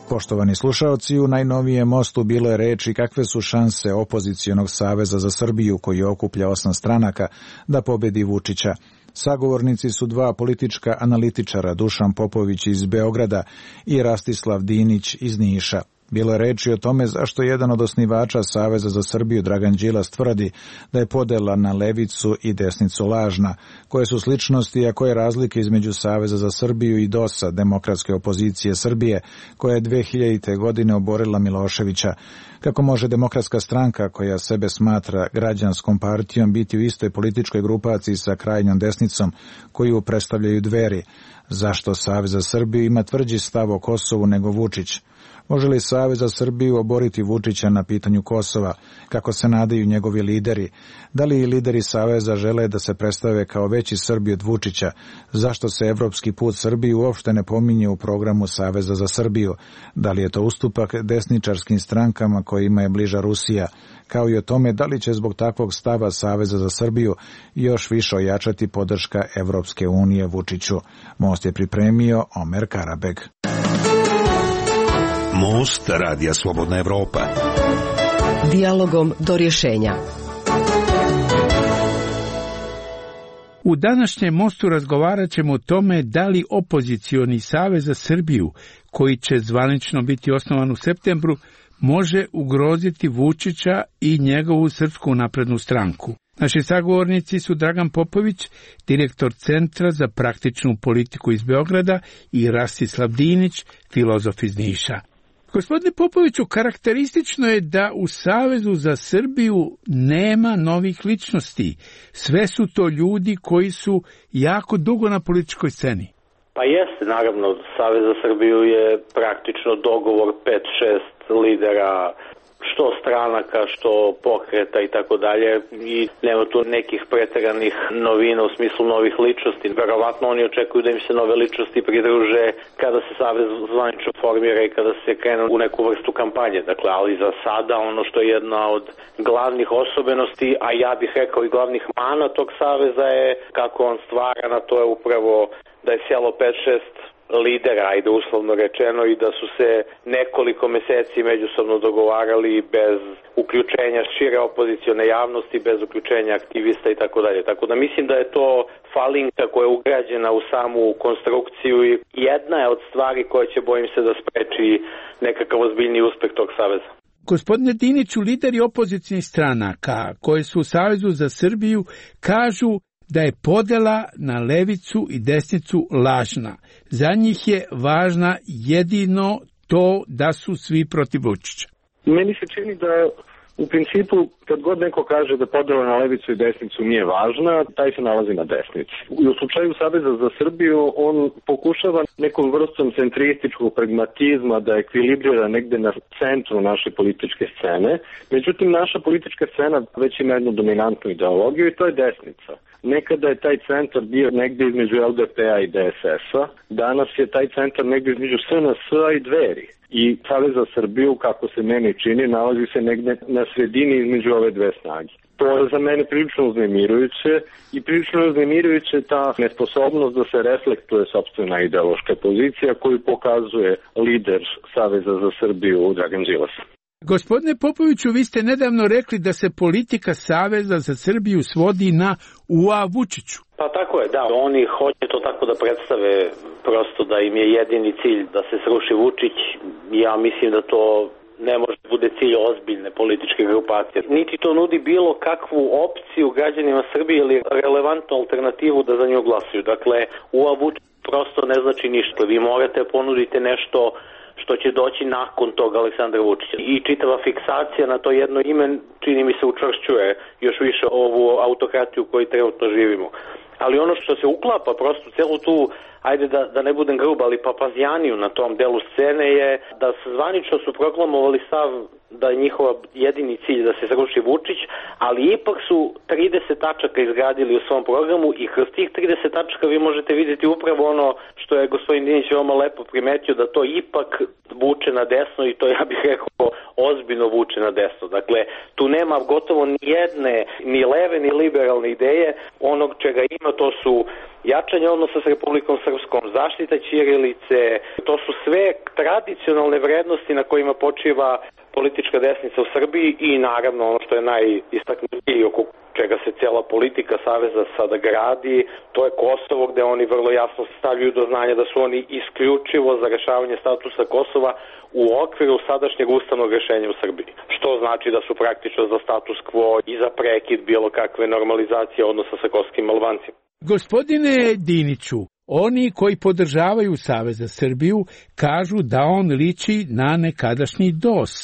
[SPEAKER 1] Poštovani slušaoci, u najnovijem mostu bilo je reči kakve su šanse opozicionog saveza za Srbiju, koji okuplja osam stranaka, da pobedi Vučića. Sagovornici su dva politička analitičara, Dušan Popović iz Beograda i Rastislav Dinić iz Niša. Bilo je reči o tome zašto jedan od osnivača Saveza za Srbiju, Dragan Đilas, tvrdi da je podela na levicu i desnicu lažna, koje su sličnosti, a koje razlike između Saveza za Srbiju i DOS-a, demokratske opozicije Srbije, koja je dve hiljadite. godine oborila Miloševića. Kako može demokratska stranka, koja sebe smatra građanskom partijom, biti u istoj političkoj grupaciji sa krajnjom desnicom, koju predstavljaju Dveri? Zašto Savez za Srbiju ima tvrđi stav o Kosovu nego Vučić? Može li Savez za Srbiju oboriti Vučića na pitanju Kosova, kako se nadaju njegovi lideri? Da li lideri Saveza žele da se predstave kao veći Srbi od Vučića? Zašto se evropski put Srbije uopšte ne pominje u programu Saveza za Srbiju? Da li je to ustupak desničarskim strankama kojima je bliža Rusija? Kao i o tome da li će zbog takvog stava Saveza za Srbiju još više ojačati podrška Evropske unije Vučiću. Most je pripremio Omer Karabeg.
[SPEAKER 8] Most Radija Slobodna Evropa.
[SPEAKER 2] Dijalogom do rješenja.
[SPEAKER 3] U današnjem mostu razgovarat ćemo o tome da li opozicioni Savez za Srbiju, koji će zvanično biti osnovan u septembru, može ugroziti Vučića i njegovu Srpsku naprednu stranku. Naši sagovornici su Dragan Popović, direktor Centra za praktičnu politiku iz Beograda, i Rastislav Dinić, filozof iz Niša. Gospodine Popoviću, karakteristično je da u Savezu za Srbiju nema novih ličnosti. Sve su to ljudi koji su jako dugo na političkoj sceni.
[SPEAKER 6] Pa jeste, naravno, Savez za Srbiju je praktično dogovor pet šest lidera, što stranaka, što pokreta i tako dalje, i nema tu nekih preteranih novina u smislu novih ličnosti. Verovatno oni očekuju da im se nove ličnosti pridruže kada se Savez zvanično formira i kada se krene u neku vrstu kampanje. Dakle, ali za sada ono što je jedna od glavnih osobenosti, a ja bih rekao i glavnih mana tog Saveza je kako on stvara, na to je upravo da je sjelo pet šest lidera, ajde uslovno rečeno, i da su se nekoliko meseci međusobno dogovarali bez uključenja šire opozicione javnosti, bez uključenja aktivista i tako dalje. Tako da mislim da je to falinka koja je ugrađena u samu konstrukciju i jedna je od stvari koja će, bojim se, da spreči nekakav ozbiljni uspeh tog saveza.
[SPEAKER 3] Gospodine Diniću, lideri opozicijnih stranaka koji su u Savezu za Srbiju kažu da je podela na levicu i desnicu lažna. Za njih je važna jedino to da su svi protiv Vučića.
[SPEAKER 24] Meni se čini da u principu kad god neko kaže da podela na levicu i desnicu nije važna, taj se nalazi na desnici. U slučaju Saveza za Srbiju on pokušava nekom vrstom centrističkog pragmatizma da ekvilibrira negde na centru naše političke scene. Međutim, naša politička scena već ima jednu dominantnu ideologiju i to je desnica. Nekada je taj centar bio negde između L D P-a i D S S-a, danas je taj centar negde između S N S-a i Dveri. I Savez za Srbiju, kako se meni čini, nalazi se negde na sredini između ove dve snage. To je za mene prilično uznemirujuće i prilično uznemirujuće ta nesposobnost da se reflektuje sopstvena ideološka pozicija koju pokazuje lider Saveza za Srbiju Dragan Đilas.
[SPEAKER 3] Gospodine Popoviću, vi ste nedavno rekli da se politika Saveza za Srbiju svodi na U A Vučiću.
[SPEAKER 6] Pa tako je, da. Oni hoće to tako da predstave, prosto da im je jedini cilj da se sruši Vučić. Ja mislim da to ne može da bude cilj ozbiljne političke grupacije. Niti to nudi bilo kakvu opciju građanima Srbije ili relevantnu alternativu da za nju glasuju. Dakle, U A Vučić prosto ne znači ništa. Vi morate ponuditi nešto što će doći nakon toga Aleksandra Vučića. I čitava fiksacija na to jedno ime, čini mi se, učvršćuje još više ovu autokratiju koju trenutno živimo. Ali ono što se uklapa prosto celu tu ajde da, da ne budem grub, ali papazjaniju na tom delu scene je da se zvanično su proklamovali stav da je njihova jedini cilj da se sruši Vučić, ali ipak su trideset tačaka izgradili u svom programu i kroz tih trideset tačaka vi možete vidjeti upravo ono što je gospodin Dinić veoma lepo primetio, da to ipak vuče na desno i to, ja bih rekao, ozbiljno vuče na desno. Dakle, tu nema gotovo ni jedne, ni leve, ni liberalne ideje. Onog čega ima, to su jačanje odnosa s Republikom Srpskom, zaštita ćirilice, to su sve tradicionalne vrednosti na kojima počiva politička desnica u Srbiji i naravno ono što je najistaknutije oko čega se cijela politika Saveza sada gradi, to je Kosovo, gde oni vrlo jasno stavljaju do znanja da su oni isključivo za rešavanje statusa Kosova u okviru sadašnjeg ustavnog rešenja u Srbiji. Što znači da su praktično za status quo i za prekid bilo kakve normalizacije odnosa sa kosovskim Albancima.
[SPEAKER 3] Gospodine Diniću, oni koji podržavaju Savez za Srbiju kažu da on liči na nekadašnji D O S,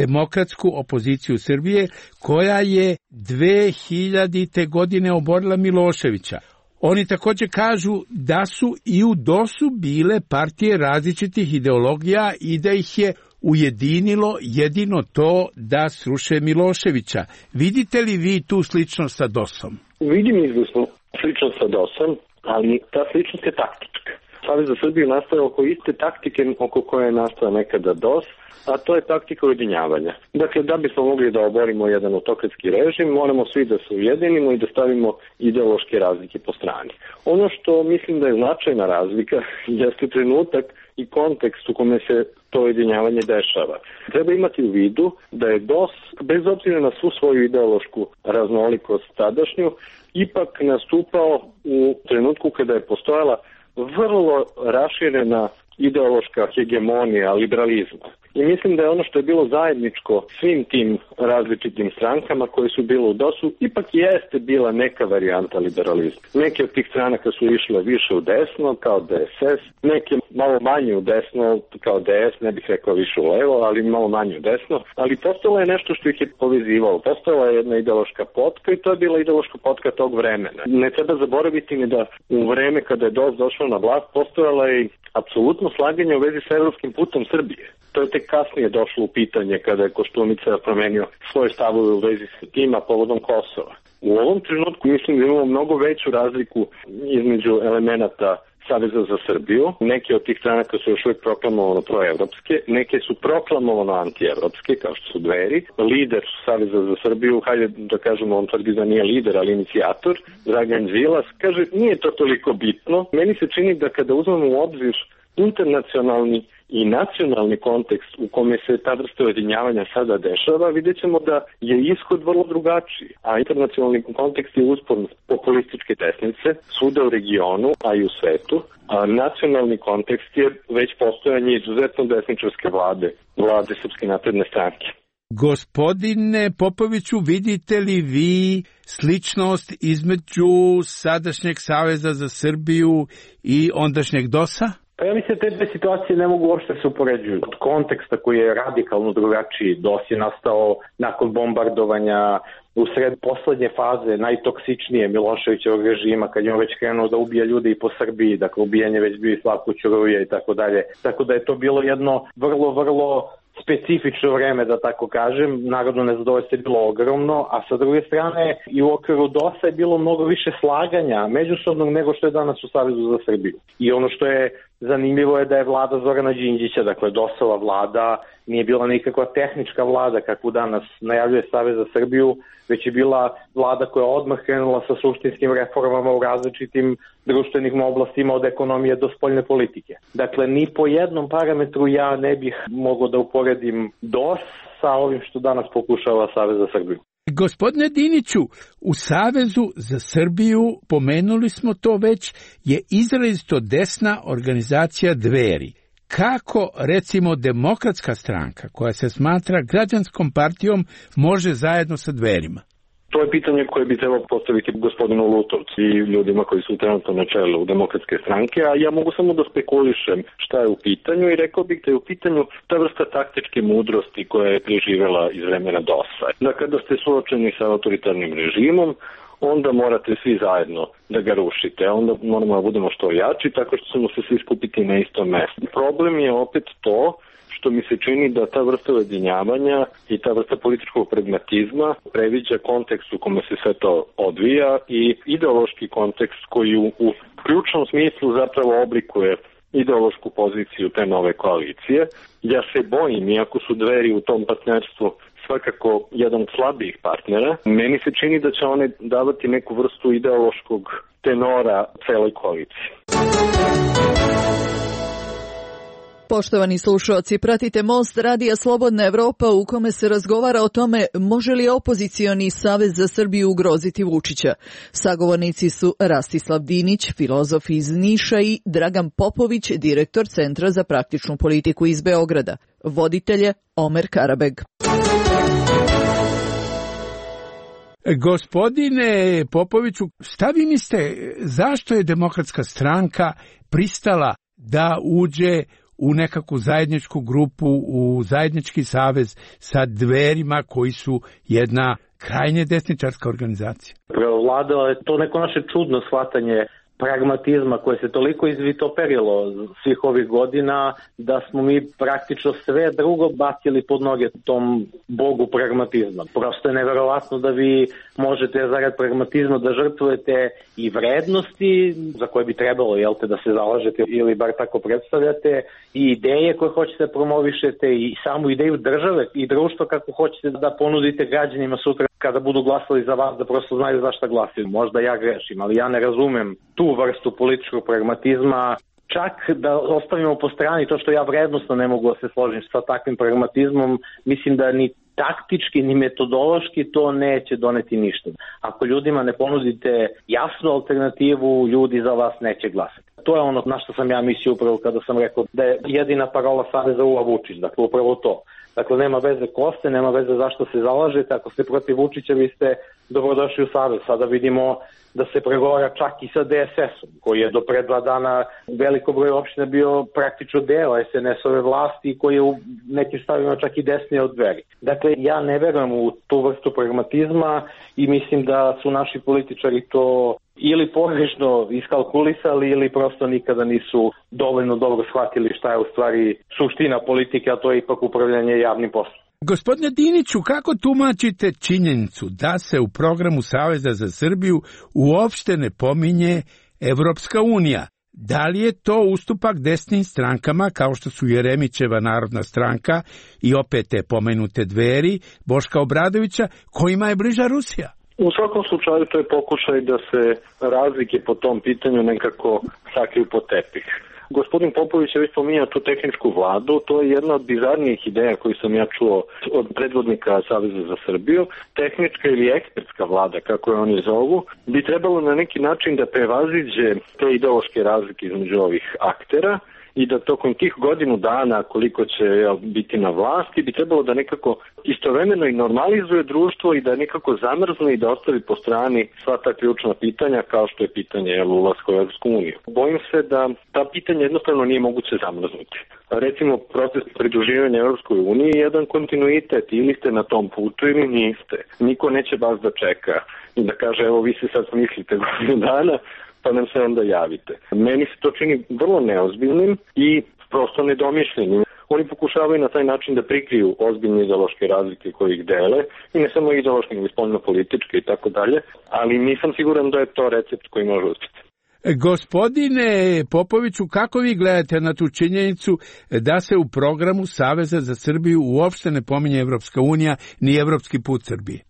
[SPEAKER 3] demokratsku opoziciju Srbije, koja je dve hiljadite godine oborila Miloševića. Oni također kažu da su i u D O S-u bile partije različitih ideologija i da ih je ujedinilo jedino to da sruše Miloševića. Vidite li vi tu sličnost sa D O S-om?
[SPEAKER 24] Vidim izvrsnu sličnost sa D O S-om, ali ta sličnost je taktička. Savez za Srbiju nastaje oko iste taktike oko koje je nastao nekada D O S, a to je taktika ujedinjavanja. Dakle, da bismo mogli da oborimo jedan autokratski režim, moramo svi da se ujedinimo i da stavimo ideološke razlike po strani. Ono što mislim da je značajna razlika jeste trenutak i kontekst u kome se to ujedinjavanje dešava. Treba imati u vidu da je D O S, bez obzira na svu svoju ideološku raznolikost tadašnju, ipak nastupao u trenutku kada je postojala vrlo raširena ideološka hegemonija liberalizma. I mislim da je ono što je bilo zajedničko svim tim različitim strankama koje su bile u D O S-u, ipak jeste bila neka varijanta liberalizma. Neke od tih stranaka su išle više u desno, kao D S S, neke malo manje u desno, kao D S, ne bih rekao više u levo, ali malo manje u desno. Ali postalo je nešto što ih je povezivalo. Postala je jedna ideološka potka i to je bila ideološka potka tog vremena. Ne treba zaboraviti ni da u vreme kada je D O S došao na vlast, postojala je apsolutno slaganje u vezi sa evropskim putom Srbije. To je tek kasnije došlo u pitanje kada je Koštunica promenio svoje stavove u vezi sa tima povodom Kosova. U ovom trenutku mislim da imamo mnogo veću razliku između elemenata Saveza za Srbiju. Neke od tih stranaka su još uvijek proklamovano proevropske, neke su proklamovano antievropske, kao što su Dveri. Lider Saveza za Srbiju, hajde da kažemo, on tvrdi da nije lider, ali inicijator, Dragan Đilas, kaže nije to toliko bitno. Meni se čini da kada uzmemo u obzir internacionalni i nacionalni kontekst u kome se ta vrsta ujedinjavanja sada dešava, vidjet ćemo da je ishod vrlo drugačiji. A internacionalni kontekst je uspon populističke desnice svuda u regionu, a i u svetu. A nacionalni kontekst je već postojanje izuzetno desničarske vlade, vlade Srpske napredne stranke.
[SPEAKER 3] Gospodine Popoviću, vidite li vi sličnost između sadašnjeg Saveza za Srbiju i ondašnjeg D O S-a?
[SPEAKER 24] Pa ja mislim da te dve situacije ne mogu uopšte se upoređuju. Od konteksta koji je radikalno drugačiji, D O S je nastao nakon bombardovanja u sred poslednje faze, najtoksičnije Miloševićevog režima, kad je on već krenuo da ubija ljude i po Srbiji, dakle ubijanje već bio i Slavko Ćuruvija i tako dalje. Tako da je to bilo jedno vrlo, vrlo specifično vreme, da tako kažem. Narodno nezadovoljstvo je bilo ogromno, a sa druge strane i u okviru D O S-a je bilo mnogo više slaganja međusobnog nego što je danas u Savezu za Srbiju. I ono što je zanimljivo je da je vlada Zorana Đinđića, dakle D O S-ova vlada, nije bila nikakva tehnička vlada kakvu danas najavljuje Savez za Srbiju, već je bila vlada koja je odmah krenula sa suštinskim reformama u različitim društvenim oblastima od ekonomije do spoljne politike. Dakle, ni po jednom parametru ja ne bih mogao da uporedim D O S sa ovim što danas pokušava Savez za Srbiju.
[SPEAKER 3] Gospodine Diniću, u Savezu za Srbiju, pomenuli smo to već, je izrazito desna organizacija Dveri. Kako, recimo, Demokratska stranka, koja se smatra građanskom partijom, može zajedno sa Dverima?
[SPEAKER 24] To je pitanje koje bi trebalo postaviti gospodinu Lutovcu i ljudima koji su trenutno na čelu Demokratske stranke, a ja mogu samo da spekulišem šta je u pitanju i rekao bih da je u pitanju ta vrsta taktičke mudrosti koja je preživela iz vremena D O S-a. Da kada ste suočeni sa autoritarnim režimom, onda morate svi zajedno da ga rušite. Onda moramo da budemo što jači, tako što ćemo se svi skupiti na istom mestu. Problem je opet to što mi se čini da ta vrsta ujedinjavanja i ta vrsta političkog pragmatizma previđa kontekst u kome se sve to odvija i ideološki kontekst koji u, u ključnom smislu zapravo oblikuje ideološku poziciju te nove koalicije. Ja se bojim, iako su Dveri u tom partnerstvu svakako jedan od slabijih partnera, meni se čini da će one davati neku vrstu ideološkog tenora celoj koaliciji.
[SPEAKER 4] Poštovani slušalci, pratite Most radija Slobodna Evropa u kome se razgovara o tome može li opozicioni Savez za Srbiju ugroziti Vučića. Sagovornici su Rastislav Dinić, filozof iz Niša i Dragan Popović, direktor Centra za praktičnu politiku iz Beograda. Voditelje Omer Karabeg.
[SPEAKER 3] Gospodine Popoviću, šta vi mislite, zašto je Demokratska stranka pristala da uđe u nekakvu zajedničku grupu, u zajednički savez sa Dverima koji su jedna krajnje desničarska organizacija?
[SPEAKER 24] Prevladalo je to neko naše čudno shvatanje pragmatizma koje se toliko izvitoperilo svih ovih godina da smo mi praktično sve drugo bacili pod noge tom bogu pragmatizma. Prosto je neverovatno da vi možete zarad pragmatizma da žrtvujete i vrednosti za koje bi trebalo, jel te, da se zalažete ili bar tako predstavljate, i ideje koje hoćete da promovišete i samu ideju države i društva kako hoćete da ponudite građanima sutra kada budu glasali za vas, da prosto znaju za šta glasaju. Možda ja grešim, ali ja ne razumem tu vrstu političkog pragmatizma. Čak da ostavimo po strani to što ja vrednostno ne mogu da se složim sa takvim pragmatizmom, mislim da ni taktički ni metodološki to neće doneti ništa. Ako ljudima ne ponudite jasnu alternativu, ljudi za vas neće glasati. To je ono na što sam ja mislio upravo kada sam rekao da je jedina parola Saveza Ula Vučić, dakle upravo to. Dakle, nema veze ko ste, nema veze zašto se zalažete, ako ste protiv Vučića, vi ste dobrodošli u Savez. Sada vidimo da se pregovara čak i sa D S S-om, koji je do pre dva dana veliko broj opština bio praktično deo S N S-ove vlasti, koji je u nekim stavima čak i desnije od Dveri. Dakle, ja ne verujem u tu vrstu pragmatizma i mislim da su naši političari to ili pogrešno iskalkulisali ili prosto nikada nisu dovoljno dobro shvatili šta je u stvari suština politike, a to je ipak upravljanje javnim poslom.
[SPEAKER 3] Gospodine Diniću, kako tumačite činjenicu da se u programu Saveza za Srbiju uopšte ne pominje Evropska unija? Da li je to ustupak desnim strankama kao što su Jeremićeva Narodna stranka i opet te pomenute Dveri, Boška Obradovića, kojima je bliža Rusija?
[SPEAKER 24] U svakom slučaju to je pokušaj da se razlike po tom pitanju nekako sakriju pod tepih. Gospodin Popović je već pominjao tu tehničku vladu, to je jedna od bizarnijih ideja koju sam ja čuo od predvodnika Saveza za Srbiju. Tehnička ili ekspertska vlada, kako je oni zovu, bi trebalo na neki način da prevaziđe te ideološke razlike između ovih aktera i da tokom tih godinu dana koliko će jel, biti na vlasti bi trebalo da nekako istovremeno i normalizuje društvo i da nekako zamrzne i da ostavi po strani sva ta ključna pitanja kao što je pitanje jel, ulaska u Evropsku uniju. Bojim se da ta pitanja jednostavno nije moguće zamrznuti. Recimo, proces pridruživanja Evropskoj uniji je jedan kontinuitet, ili ste na tom putu ili niste. Niko neće vas da čeka i da kaže evo vi se sad smislite godinu dana pa nam se onda javite. Meni se to čini vrlo neozbiljnim i prosto nedomišljenim. Oni pokušavaju na taj način da prikriju ozbiljne ideološke razlike koje ih dele, i ne samo ideološke, nego spoljno-političke i tako dalje, ali nisam siguran da je to recept koji može uspjeti.
[SPEAKER 3] Gospodine Popoviću, kako vi gledate na tu činjenicu da se u programu Saveza za Srbiju uopšte ne pominje Evropska unija ni evropski put Srbije?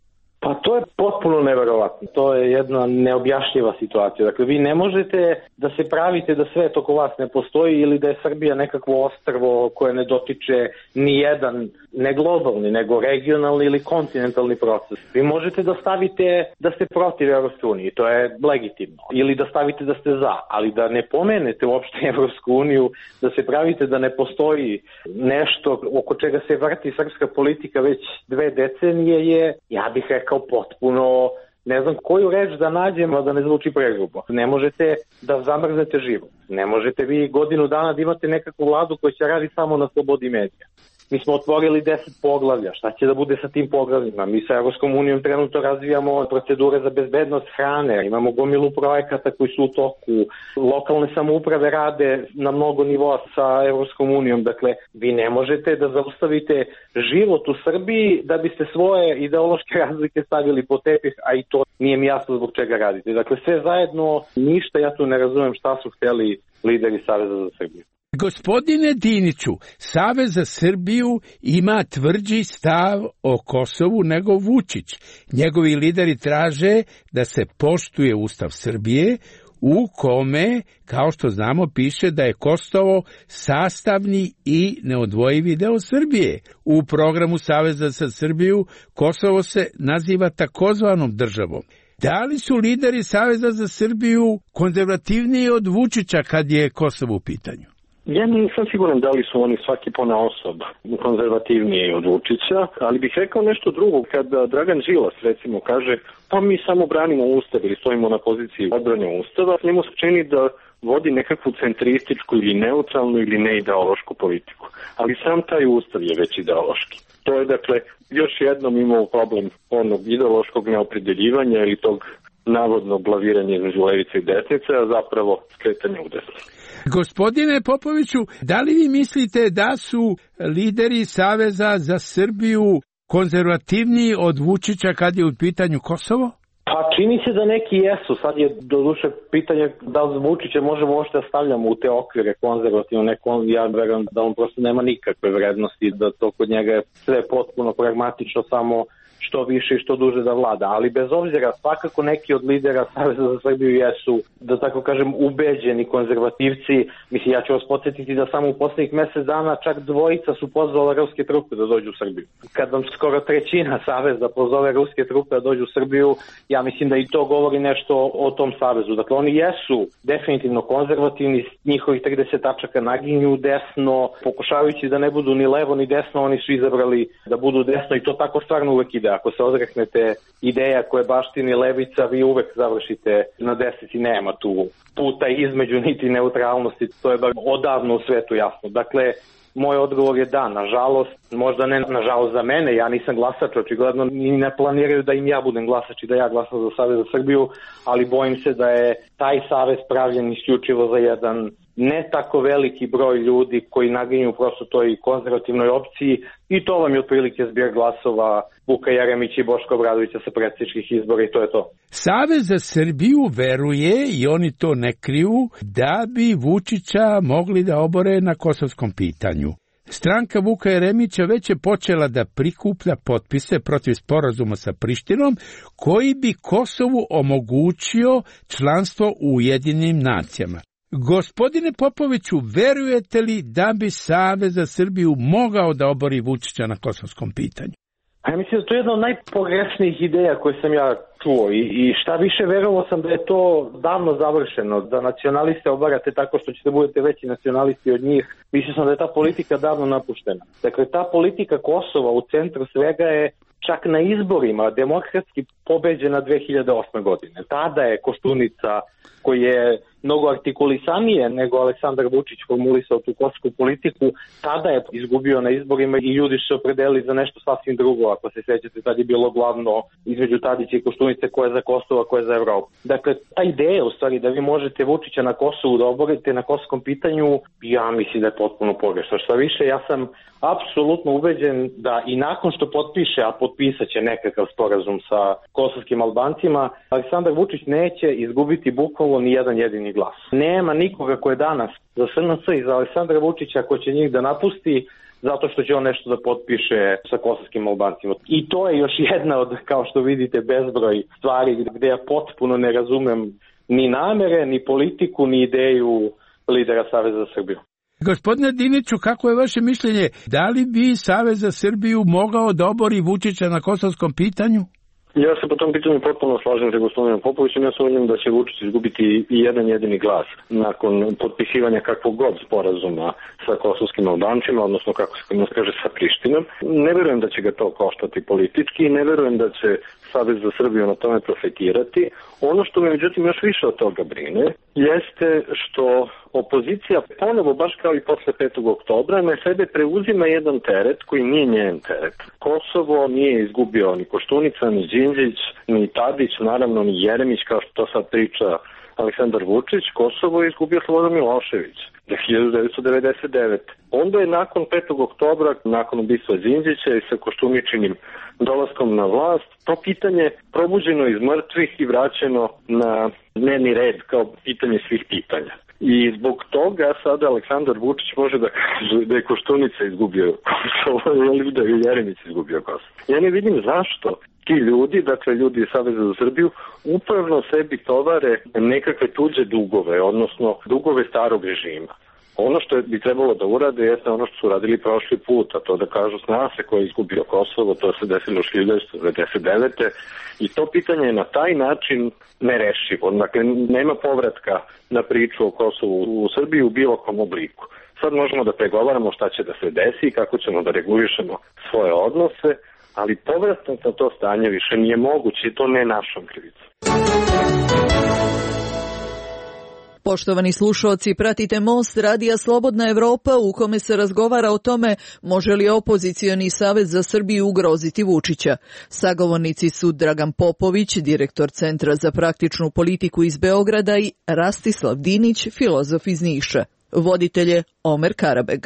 [SPEAKER 24] Pa to je potpuno neverovatno. To je jedna neobjašnjiva situacija. Dakle, vi ne možete da se pravite da svet oko vas ne postoji ili da je Srbija nekakvo ostrvo koje ne dotiče ni jedan, ne globalni, nego regionalni ili kontinentalni proces. Vi možete da stavite da ste protiv Evropske unije, to je legitimno. Ili da stavite da ste za, ali da ne pomenete uopšte Evropsku uniju, da se pravite da ne postoji nešto oko čega se vrti srpska politika već dve decenije je, ja bih rekao, kao potpuno, ne znam koju reč da nađem, a da ne zvuči pregrubo. Ne možete da zamrznete život. Ne možete vi godinu dana da imate nekakvu vladu koja će radi samo na slobodi medija. mi smo otvorili deset poglavlja, šta će da bude sa tim poglavljima? Mi sa Evropskom unijom trenutno razvijamo procedure za bezbednost hrane, imamo gomilu projekata koji su u toku, lokalne samouprave rade na mnogo nivoa sa Evropskom unijom, dakle vi ne možete da zaustavite život u Srbiji da biste svoje ideološke razlike stavili po tepih, a i to nije mi jasno zbog čega radite. Dakle sve zajedno ništa, ja tu ne razumem šta su hteli lideri Saveza za Srbiju.
[SPEAKER 3] Gospodine Diniću, Savez za Srbiju ima tvrđi stav o Kosovu nego Vučić. Njegovi lideri traže da se poštuje Ustav Srbije, u kome, kao što znamo, piše da je Kosovo sastavni i neodvojivi deo Srbije. U programu Saveza za Srbiju Kosovo se naziva takozvanom državom. Da li su lideri Saveza za Srbiju konzervativniji od Vučića kad je Kosovo u pitanju?
[SPEAKER 24] Ja nisam siguran da li su oni svaki ponaosob konzervativniji od Vučića, ali bih rekao nešto drugo. Kada Dragan Đilas recimo kaže pa mi samo branimo Ustav ili stojimo na poziciji odbrane Ustava, njemu se čini da vodi nekakvu centrističku ili neutralnu ili neideološku politiku. Ali sam taj Ustav je već ideološki. To je dakle još jednom imao problem onog ideološkog neopredeljivanja ili tog navodnog glaviranja između levice i desnice, a zapravo skretanje u desno.
[SPEAKER 3] Gospodine Popoviću, da li vi mislite da su lideri Saveza za Srbiju konzervativniji od Vučića kad je u pitanju Kosovo?
[SPEAKER 24] Pa čini se da neki jesu. Sad je doduše pitanje da li Vučića možemo uopšte da stavljamo u te okvire konzervativno. Neko, ja verujem da on prosto nema nikakve vrednosti, da to kod njega je sve potpuno pragmatično, samo što više i što duže da vlada, ali bez obzira svakako neki od lidera Saveza za Srbiju jesu, da tako kažem, ubeđeni konzervativci. Mislim, ja ću vas podsjetiti da samo u poslednjih mesec dana čak dvojica su pozvali ruske trupe da dođu u Srbiju. Kad vam skoro trećina Saveza pozove ruske trupe da dođu u Srbiju, ja mislim da i to govori nešto o tom Savezu. Dakle, oni jesu definitivno konzervativni, njihovih trideset tačaka naginju desno, pokušavajući da ne budu ni levo ni desno, oni su izabrali da budu desno i to tako stvarno uvek ide. Ako se odreknete ideja koje baštini levica, vi uvek završite na desnici, nema tu puta između niti neutralnosti, to je bar odavno u svetu jasno. Dakle, moj odgovor je da, nažalost, možda ne nažalost za mene, ja nisam glasač, očigledno ni ne planiraju da im ja budem glasač i da ja glasam za Savez za Srbiju, ali bojim se da je taj savez pravljen isključivo za jedan ne tako veliki broj ljudi koji naginju prosto toj konzervativnoj opciji i to vam je otprilike zbir glasova Vuka Jeremića i Boška Obradovića sa predsjedničkih izbora i to je to.
[SPEAKER 3] Savez za Srbiju veruje, i oni to ne kriju, da bi Vučića mogli da obore na kosovskom pitanju. Stranka Vuka Jeremića već je počela da prikuplja potpise protiv sporazuma sa Prištinom, koji bi Kosovu omogućio članstvo u Ujedinjenim nacijama. Gospodine Popoviću, verujete li da bi Savez za Srbiju mogao da obori Vučića na kosovskom pitanju?
[SPEAKER 24] Ja mislim da to je jedna od najpogrešnijih ideja koje sam ja čuo i, i šta više verovao sam da je to davno završeno, da nacionaliste obarate tako što ćete budete veći nacionalisti od njih. Mislio sam da je ta politika davno napuštena. Dakle, ta politika Kosova u centru svega je čak na izborima demokratski pobeđena dve hiljade osme. godine. Tada je Koštunica, koji je mnogo artikulisanije nego Aleksandar Vučić formulisao tu kosovsku politiku, tada je izgubio na izborima i ljudi su se opredelili za nešto sasvim drugo. Ako se sjećate, tad je bilo glavno između Tadića i Koštunice ko je za Kosovo, ko je za Evropu. Dakle, ta ideja u stvari da vi možete Vučića na Kosovu da oborite na kosovskom pitanju, ja mislim da je potpuno pogrešno. Šta više, ja sam apsolutno ubeđen da i nakon što potpiše, a potpisat će nekakav sporazum sa kosovskim Albancima, Aleksandar Vučić neće izgubiti bukvalno ni jedan jedini glas. Nema nikoga ko je danas za S N C i za Aleksandra Vučića ko će njih da napusti zato što će on nešto da potpiše sa kosovskim Albancima. I to je još jedna od, kao što vidite, bezbroj stvari gde ja potpuno ne razumem ni namere, ni politiku, ni ideju lidera Saveza za Srbiju.
[SPEAKER 3] Gospodine Diniću, kako je vaše mišljenje? Da li bi Savez za Srbiju mogao da obori Vučića na kosovskom pitanju?
[SPEAKER 24] Ja se po tom pitanju potpuno slažem sa gospodinom Popovićem. Ja sumnjam da će Vučić izgubiti i jedan jedini glas nakon potpisivanja kakvog god sporazuma sa kosovskim Albancima, odnosno kako se nas kaže sa Prištinom. Ne verujem da će ga to koštati politički i ne verujem da će Savez za Srbiju na tome profitirati. Ono što me međutim još više od toga brine jeste što opozicija ponovo, baš kao i posle petog oktobra, na sebe preuzima jedan teret koji nije njen teret. Kosovo nije izgubio ni Koštunica, ni Đinđić, ni Tadić, naravno ni Jeremić, kao što to sad priča Aleksandar Vučić. Kosovo je izgubio Slobodan Milošević hiljadu devetsto devedeset devete. Onda je nakon petog oktobra, nakon ubistva Đinđića i sa Koštuničinim dolaskom na vlast, to pitanje probuđeno iz mrtvih i vraćeno na dnevni red kao pitanje svih pitanja. I zbog toga sada Aleksandar Vučić može da kaže da je Koštunica izgubio Kosovo ili da je Jeremić izgubio Kosovo. Ja ne vidim zašto ti ljudi, dakle ljudi iz Saveza za Srbiju, upravno sebi tovare nekakve tuđe dugove, odnosno dugove starog režima. Ono što bi trebalo da urade jeste ono što su radili prošli put, a to da kažu zna se ko je izgubio Kosovo, to se desilo u hiljadu devetsto devedeset devete. I to pitanje je na taj način nerešivo. Dakle, nema povratka na priču o Kosovu u Srbiji u bilo kom obliku. Sad možemo da pregovaramo šta će da se desi i kako ćemo da regulišemo svoje odnose, ali povratak na to stanje više nije moguće i to ne našom krivicom.
[SPEAKER 4] Poštovani slušalci, pratite Most radija Slobodna Evropa u kome se razgovara o tome može li opozicioni Savez za Srbiju ugroziti Vučića. Sagovornici su Dragan Popović, direktor Centra za praktičnu politiku iz Beograda i Rastislav Dinić, filozof iz Niša. Voditelj je Omer Karabeg.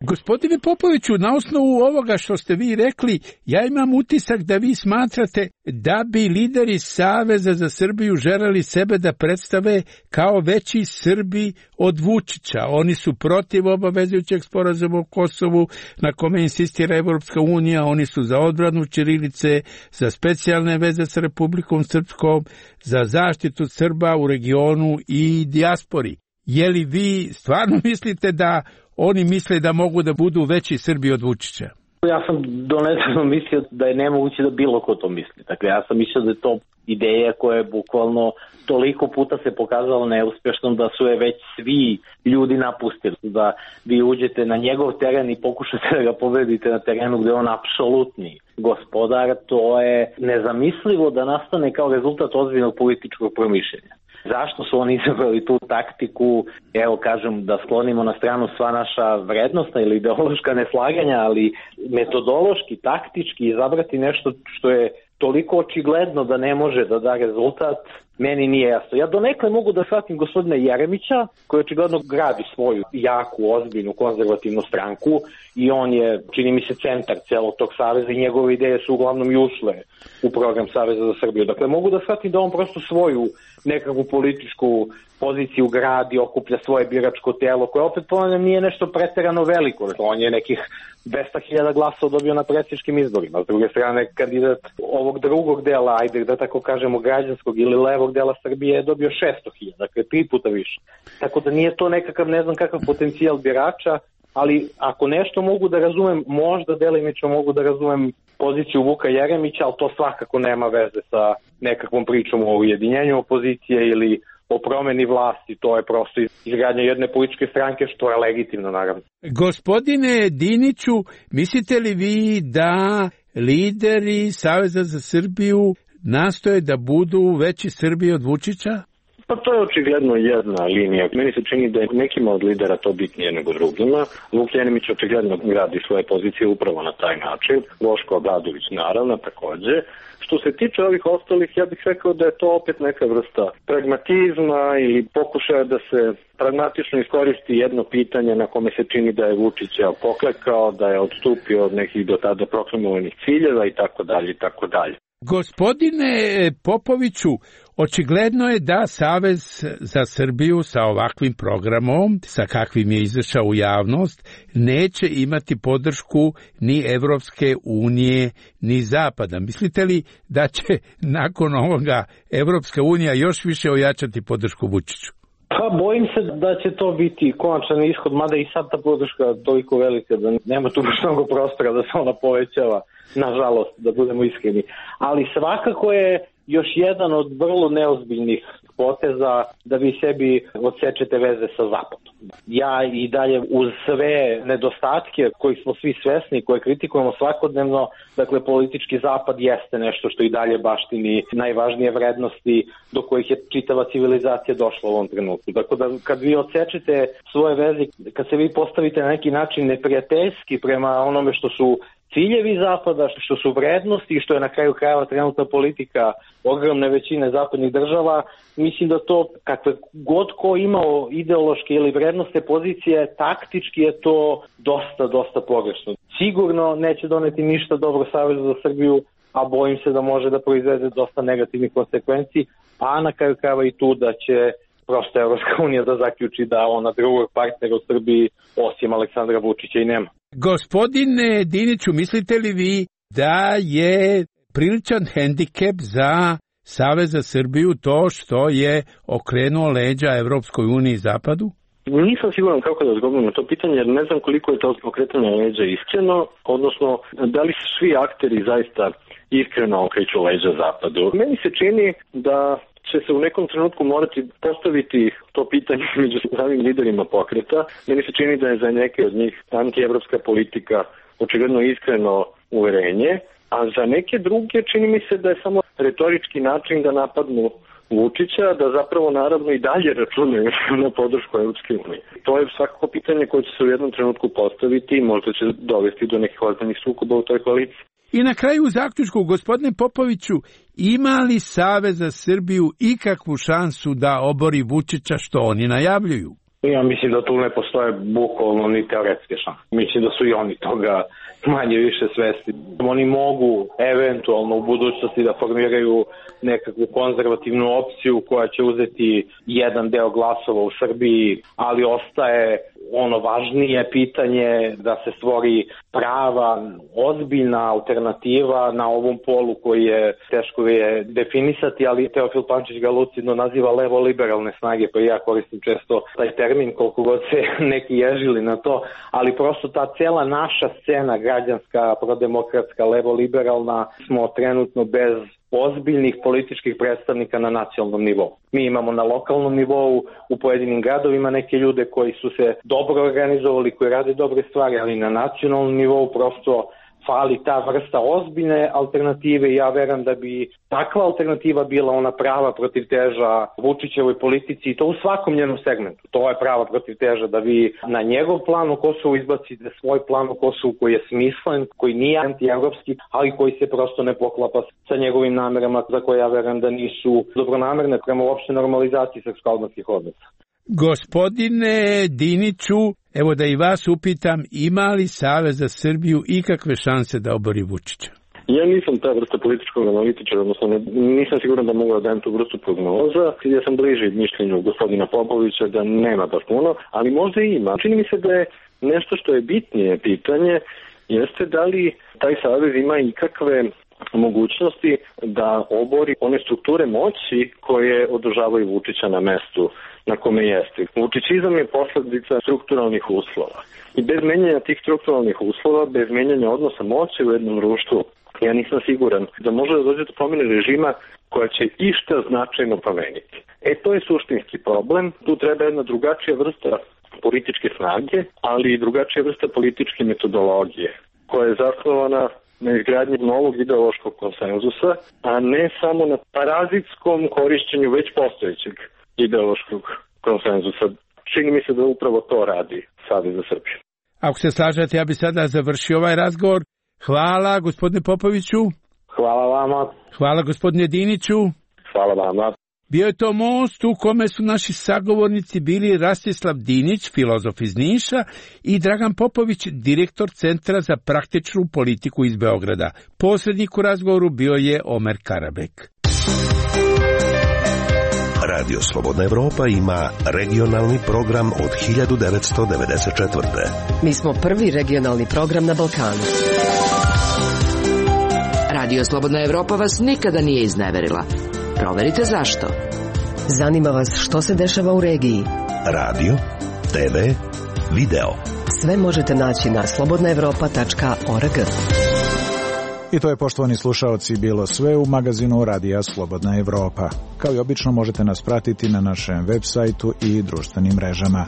[SPEAKER 3] Gospodine Popoviću, na osnovu ovoga što ste vi rekli, ja imam utisak da vi smatrate da bi lideri Saveza za Srbiju želeli sebe da predstave kao veći Srbi od Vučića. Oni su protiv obavezujućeg sporazuma o Kosovu na kome insistira Evropska unija, oni su za odbranu ćirilice, za specijalne veze sa Republikom Srpskom, za zaštitu Srba u regionu i dijaspori. Je li vi stvarno mislite da oni misle da mogu da budu veći Srbi od Vučića?
[SPEAKER 9] Ja sam donedavno mislio da je nemoguće da bilo ko to misli. Dakle, ja sam mislio da je to ideja koja je bukvalno toliko puta se pokazala neuspešnom da su je već svi ljudi napustili. Da vi uđete na njegov teren i pokušate da ga pobedite na terenu gde je on apsolutni gospodar, to je nezamislivo da nastane kao rezultat ozbiljnog političkog promišljenja. Zašto su oni izabrali tu taktiku, evo kažem, da sklonimo na stranu sva naša vrednostna ili ideološka neslaganja, ali metodološki, taktički izabrati nešto što je toliko očigledno da ne može da da rezultat, meni nije jasno. Ja donekle mogu da shvatim gospodina Jeremića, koji očigledno gradi svoju jaku, ozbiljnu, konzervativnu stranku i on je, čini mi se, centar celog tog saveza i njegove ideje su uglavnom i ušle u program Saveza za Srbiju. Dakle, mogu da shvatim da on prosto svoju nekakvu političku poziciju gradi, okuplja svoje biračko telo, koje opet ponavljam nije nešto preterano veliko. On je nekih dvesta hiljada glasova dobio na predsjedničkim izborima. S druge strane, kandidat ovog drugog dela, ajde da tako kažemo građanskog ili levog dela Srbije je dobio šesto hiljada, dakle tri puta više. Tako da nije to nekakav, ne znam kakav potencijal birača, ali ako nešto mogu da razumem, možda delimično mogu da razumem poziciju Vuka Jeremića, ali to svakako nema veze sa nekakvom pričom o ujedinjenju opozicije ili o promeni vlasti, to je prosto izgradnja jedne političke stranke, što je legitimno naravno.
[SPEAKER 3] Gospodine Diniću, mislite li vi da lideri Saveza za Srbiju nastoje da budu veći Srbi od Vučića?
[SPEAKER 24] Pa to je očigledno jedna linija. Meni se čini da je nekima od lidera to bitnije nego drugima. Vuk Jeremić očigledno gradi svoje pozicije upravo na taj način. Boško Obradović naravno takođe. Što se tiče ovih ostalih, ja bih rekao da je to opet neka vrsta pragmatizma ili pokušaja da se pragmatično iskoristi jedno pitanje na kome se čini da je Vučić poklekao, da je odstupio od nekih do tada proklamovanih ciljeva i tako dalje i tako dalje.
[SPEAKER 3] Gospodine Popoviću, očigledno je da Savez za Srbiju sa ovakvim programom, sa kakvim je izašao u javnost, neće imati podršku ni Evropske unije, ni Zapada. Mislite li da će nakon ovoga Evropska unija još više ojačati podršku Vučiću?
[SPEAKER 9] Pa bojim se da će to biti konačan ishod, mada i sad ta podrška toliko velika da nema tu baš mnogo prostora da se ona povećava, nažalost, da budemo iskreni. Ali svakako je još jedan od vrlo neozbiljnih poteza da vi sebi odsečete veze sa Zapadom. Ja i dalje uz sve nedostatke kojih smo svi svesni, koje kritikujemo svakodnevno, dakle politički Zapad jeste nešto što i dalje baštini najvažnije vrednosti do kojih je čitava civilizacija došla u ovom trenutku. Dakle, da kad vi odsečete svoje veze, kad se vi postavite na neki način neprijateljski prema onome što su ciljevi Zapada, što su vrednosti i što je na kraju krajeva trenutna politika ogromne većine zapadnih država, mislim da to, kakve god ko imao ideološke ili vrednostne pozicije, taktički je to dosta, dosta pogrešno. Sigurno neće doneti ništa dobro Savezu za Srbiju, a bojim se da može da proizvede dosta negativnih konsekvenci, a na kraju krajeva i tu da će prosto Evropska unija da zaključi da ona drugog partnera u Srbiji osim Aleksandra Vučića i nema.
[SPEAKER 3] Gospodine Diniću, mislite li vi da je priličan hendikep za Savez za Srbiju to što je okrenuo leđa Evropskoj uniji i Zapadu?
[SPEAKER 24] Nisam siguran kako da odgovorim na to pitanje, jer ne znam koliko je to okretanje leđa iskreno, odnosno da li su svi akteri zaista iskreno okreću leđa Zapadu. Meni se čini da će se u nekom trenutku morati postaviti to pitanje među samim liderima pokreta. Meni se čini da je za neke od njih antievropska politika očigledno iskreno uverenje, a za neke druge čini mi se da je samo retorički način da napadnu Vučića, da zapravo naravno i dalje računaju na podršku Evropske unije. To je svakako pitanje koje će se u jednom trenutku postaviti i možda će dovesti do nekih ozbiljnih sukoba u toj koaliciji.
[SPEAKER 3] I na kraju u zaključku, gospodine Popoviću, ima li Savez za Srbiju ikakvu šansu da obori Vučića što oni najavljuju?
[SPEAKER 9] Ja mislim da tu ne postoje bukvalno ni teoretske šanse. Mislim da su i oni toga manje više svesni. Oni mogu eventualno u budućnosti da formiraju nekakvu konzervativnu opciju koja će uzeti jedan deo glasova u Srbiji, ali ostaje ono važnije pitanje da se stvori prava, ozbiljna alternativa na ovom polu koji je teško je definisati, ali Teofil Pančić ga lucidno naziva levo-liberalne snage, pa ja koristim često taj termin koliko god se neki ježili na to, ali prosto ta cela naša scena građanska, prodemokratska, levo-liberalna, smo trenutno bez ozbiljnih političkih predstavnika na nacionalnom nivou. Mi imamo na lokalnom nivou u pojedinim gradovima neke ljude koji su se dobro organizovali, koji rade dobre stvari, ali na nacionalnom nivou prosto fali ta vrsta ozbiljne alternative i ja verujem da bi takva alternativa bila ona prava protivteža Vučićevoj politici i to u svakom njenom segmentu. To je prava protivteža da vi na njegov plan u Kosovu izbacite svoj plan u Kosovu koji je smislen, koji nije antievropski, ali koji se prosto ne poklapa sa njegovim namerama za koje ja verujem da nisu dobronamerne prema uopšte normalizaciji srpsko-albanskih odnosa.
[SPEAKER 3] Gospodine Diniću, evo da i vas upitam, ima li Savez za Srbiju ikakve šanse da obori Vučića?
[SPEAKER 24] Ja nisam ta vrsta političkog analitičara, odnosno ne, nisam siguran da mogu da dajem tu vrstu prognoza. Ja sam bliži mišljenju gospodina Popovića da nema baš puno, ali možda i ima. Čini mi se da je nešto što je bitnije pitanje, jeste da li taj savez ima ikakve mogućnosti da obori one strukture moći koje održavaju Vučića na mestu na kome jeste. Vučićizam je posledica strukturalnih uslova. I bez menjanja tih strukturalnih uslova, bez menjanja odnosa moći u jednom društvu, ja nisam siguran da može da dođe do promjene režima koja će išta značajno promeniti. E, to je suštinski problem. Tu treba jedna drugačija vrsta političke snage, ali i drugačija vrsta političke metodologije, koja je zasnovana na izgradnji novog ideološkog konsenzusa, a ne samo na parazitskom korišćenju već postojećeg ideološkog konsenzusa. Čini mi se da upravo to radi Savez za Srbiju.
[SPEAKER 3] Ako se slažete, ja bi sada završio ovaj razgovor. Hvala, gospodine Popoviću.
[SPEAKER 9] Hvala vama.
[SPEAKER 3] Hvala, gospodine Diniću.
[SPEAKER 24] Hvala vama.
[SPEAKER 3] Bio je to most u kome su naši sagovornici bili Rastislav Dinić, filozof iz Niša, i Dragan Popović, direktor Centra za praktičnu politiku iz Beograda. Posrednik u razgovoru bio je Omer Karabek.
[SPEAKER 8] Radio Slobodna Evropa ima regionalni program od hiljadu devetsto devedeset četvrte.
[SPEAKER 2] Mi smo prvi regionalni program na Balkanu.
[SPEAKER 7] Radio Slobodna Evropa vas nikada nije izneverila. Proverite zašto.
[SPEAKER 2] Zanima vas što se dešava u regiji.
[SPEAKER 8] Radio, te ve, video.
[SPEAKER 2] Sve možete naći na slobodna evropa tačka org.
[SPEAKER 1] I to je, poštovani slušaoci, bilo sve u magazinu Radija Slobodna Evropa. Kao i obično možete nas pratiti na našem web sajtu i društvenim mrežama.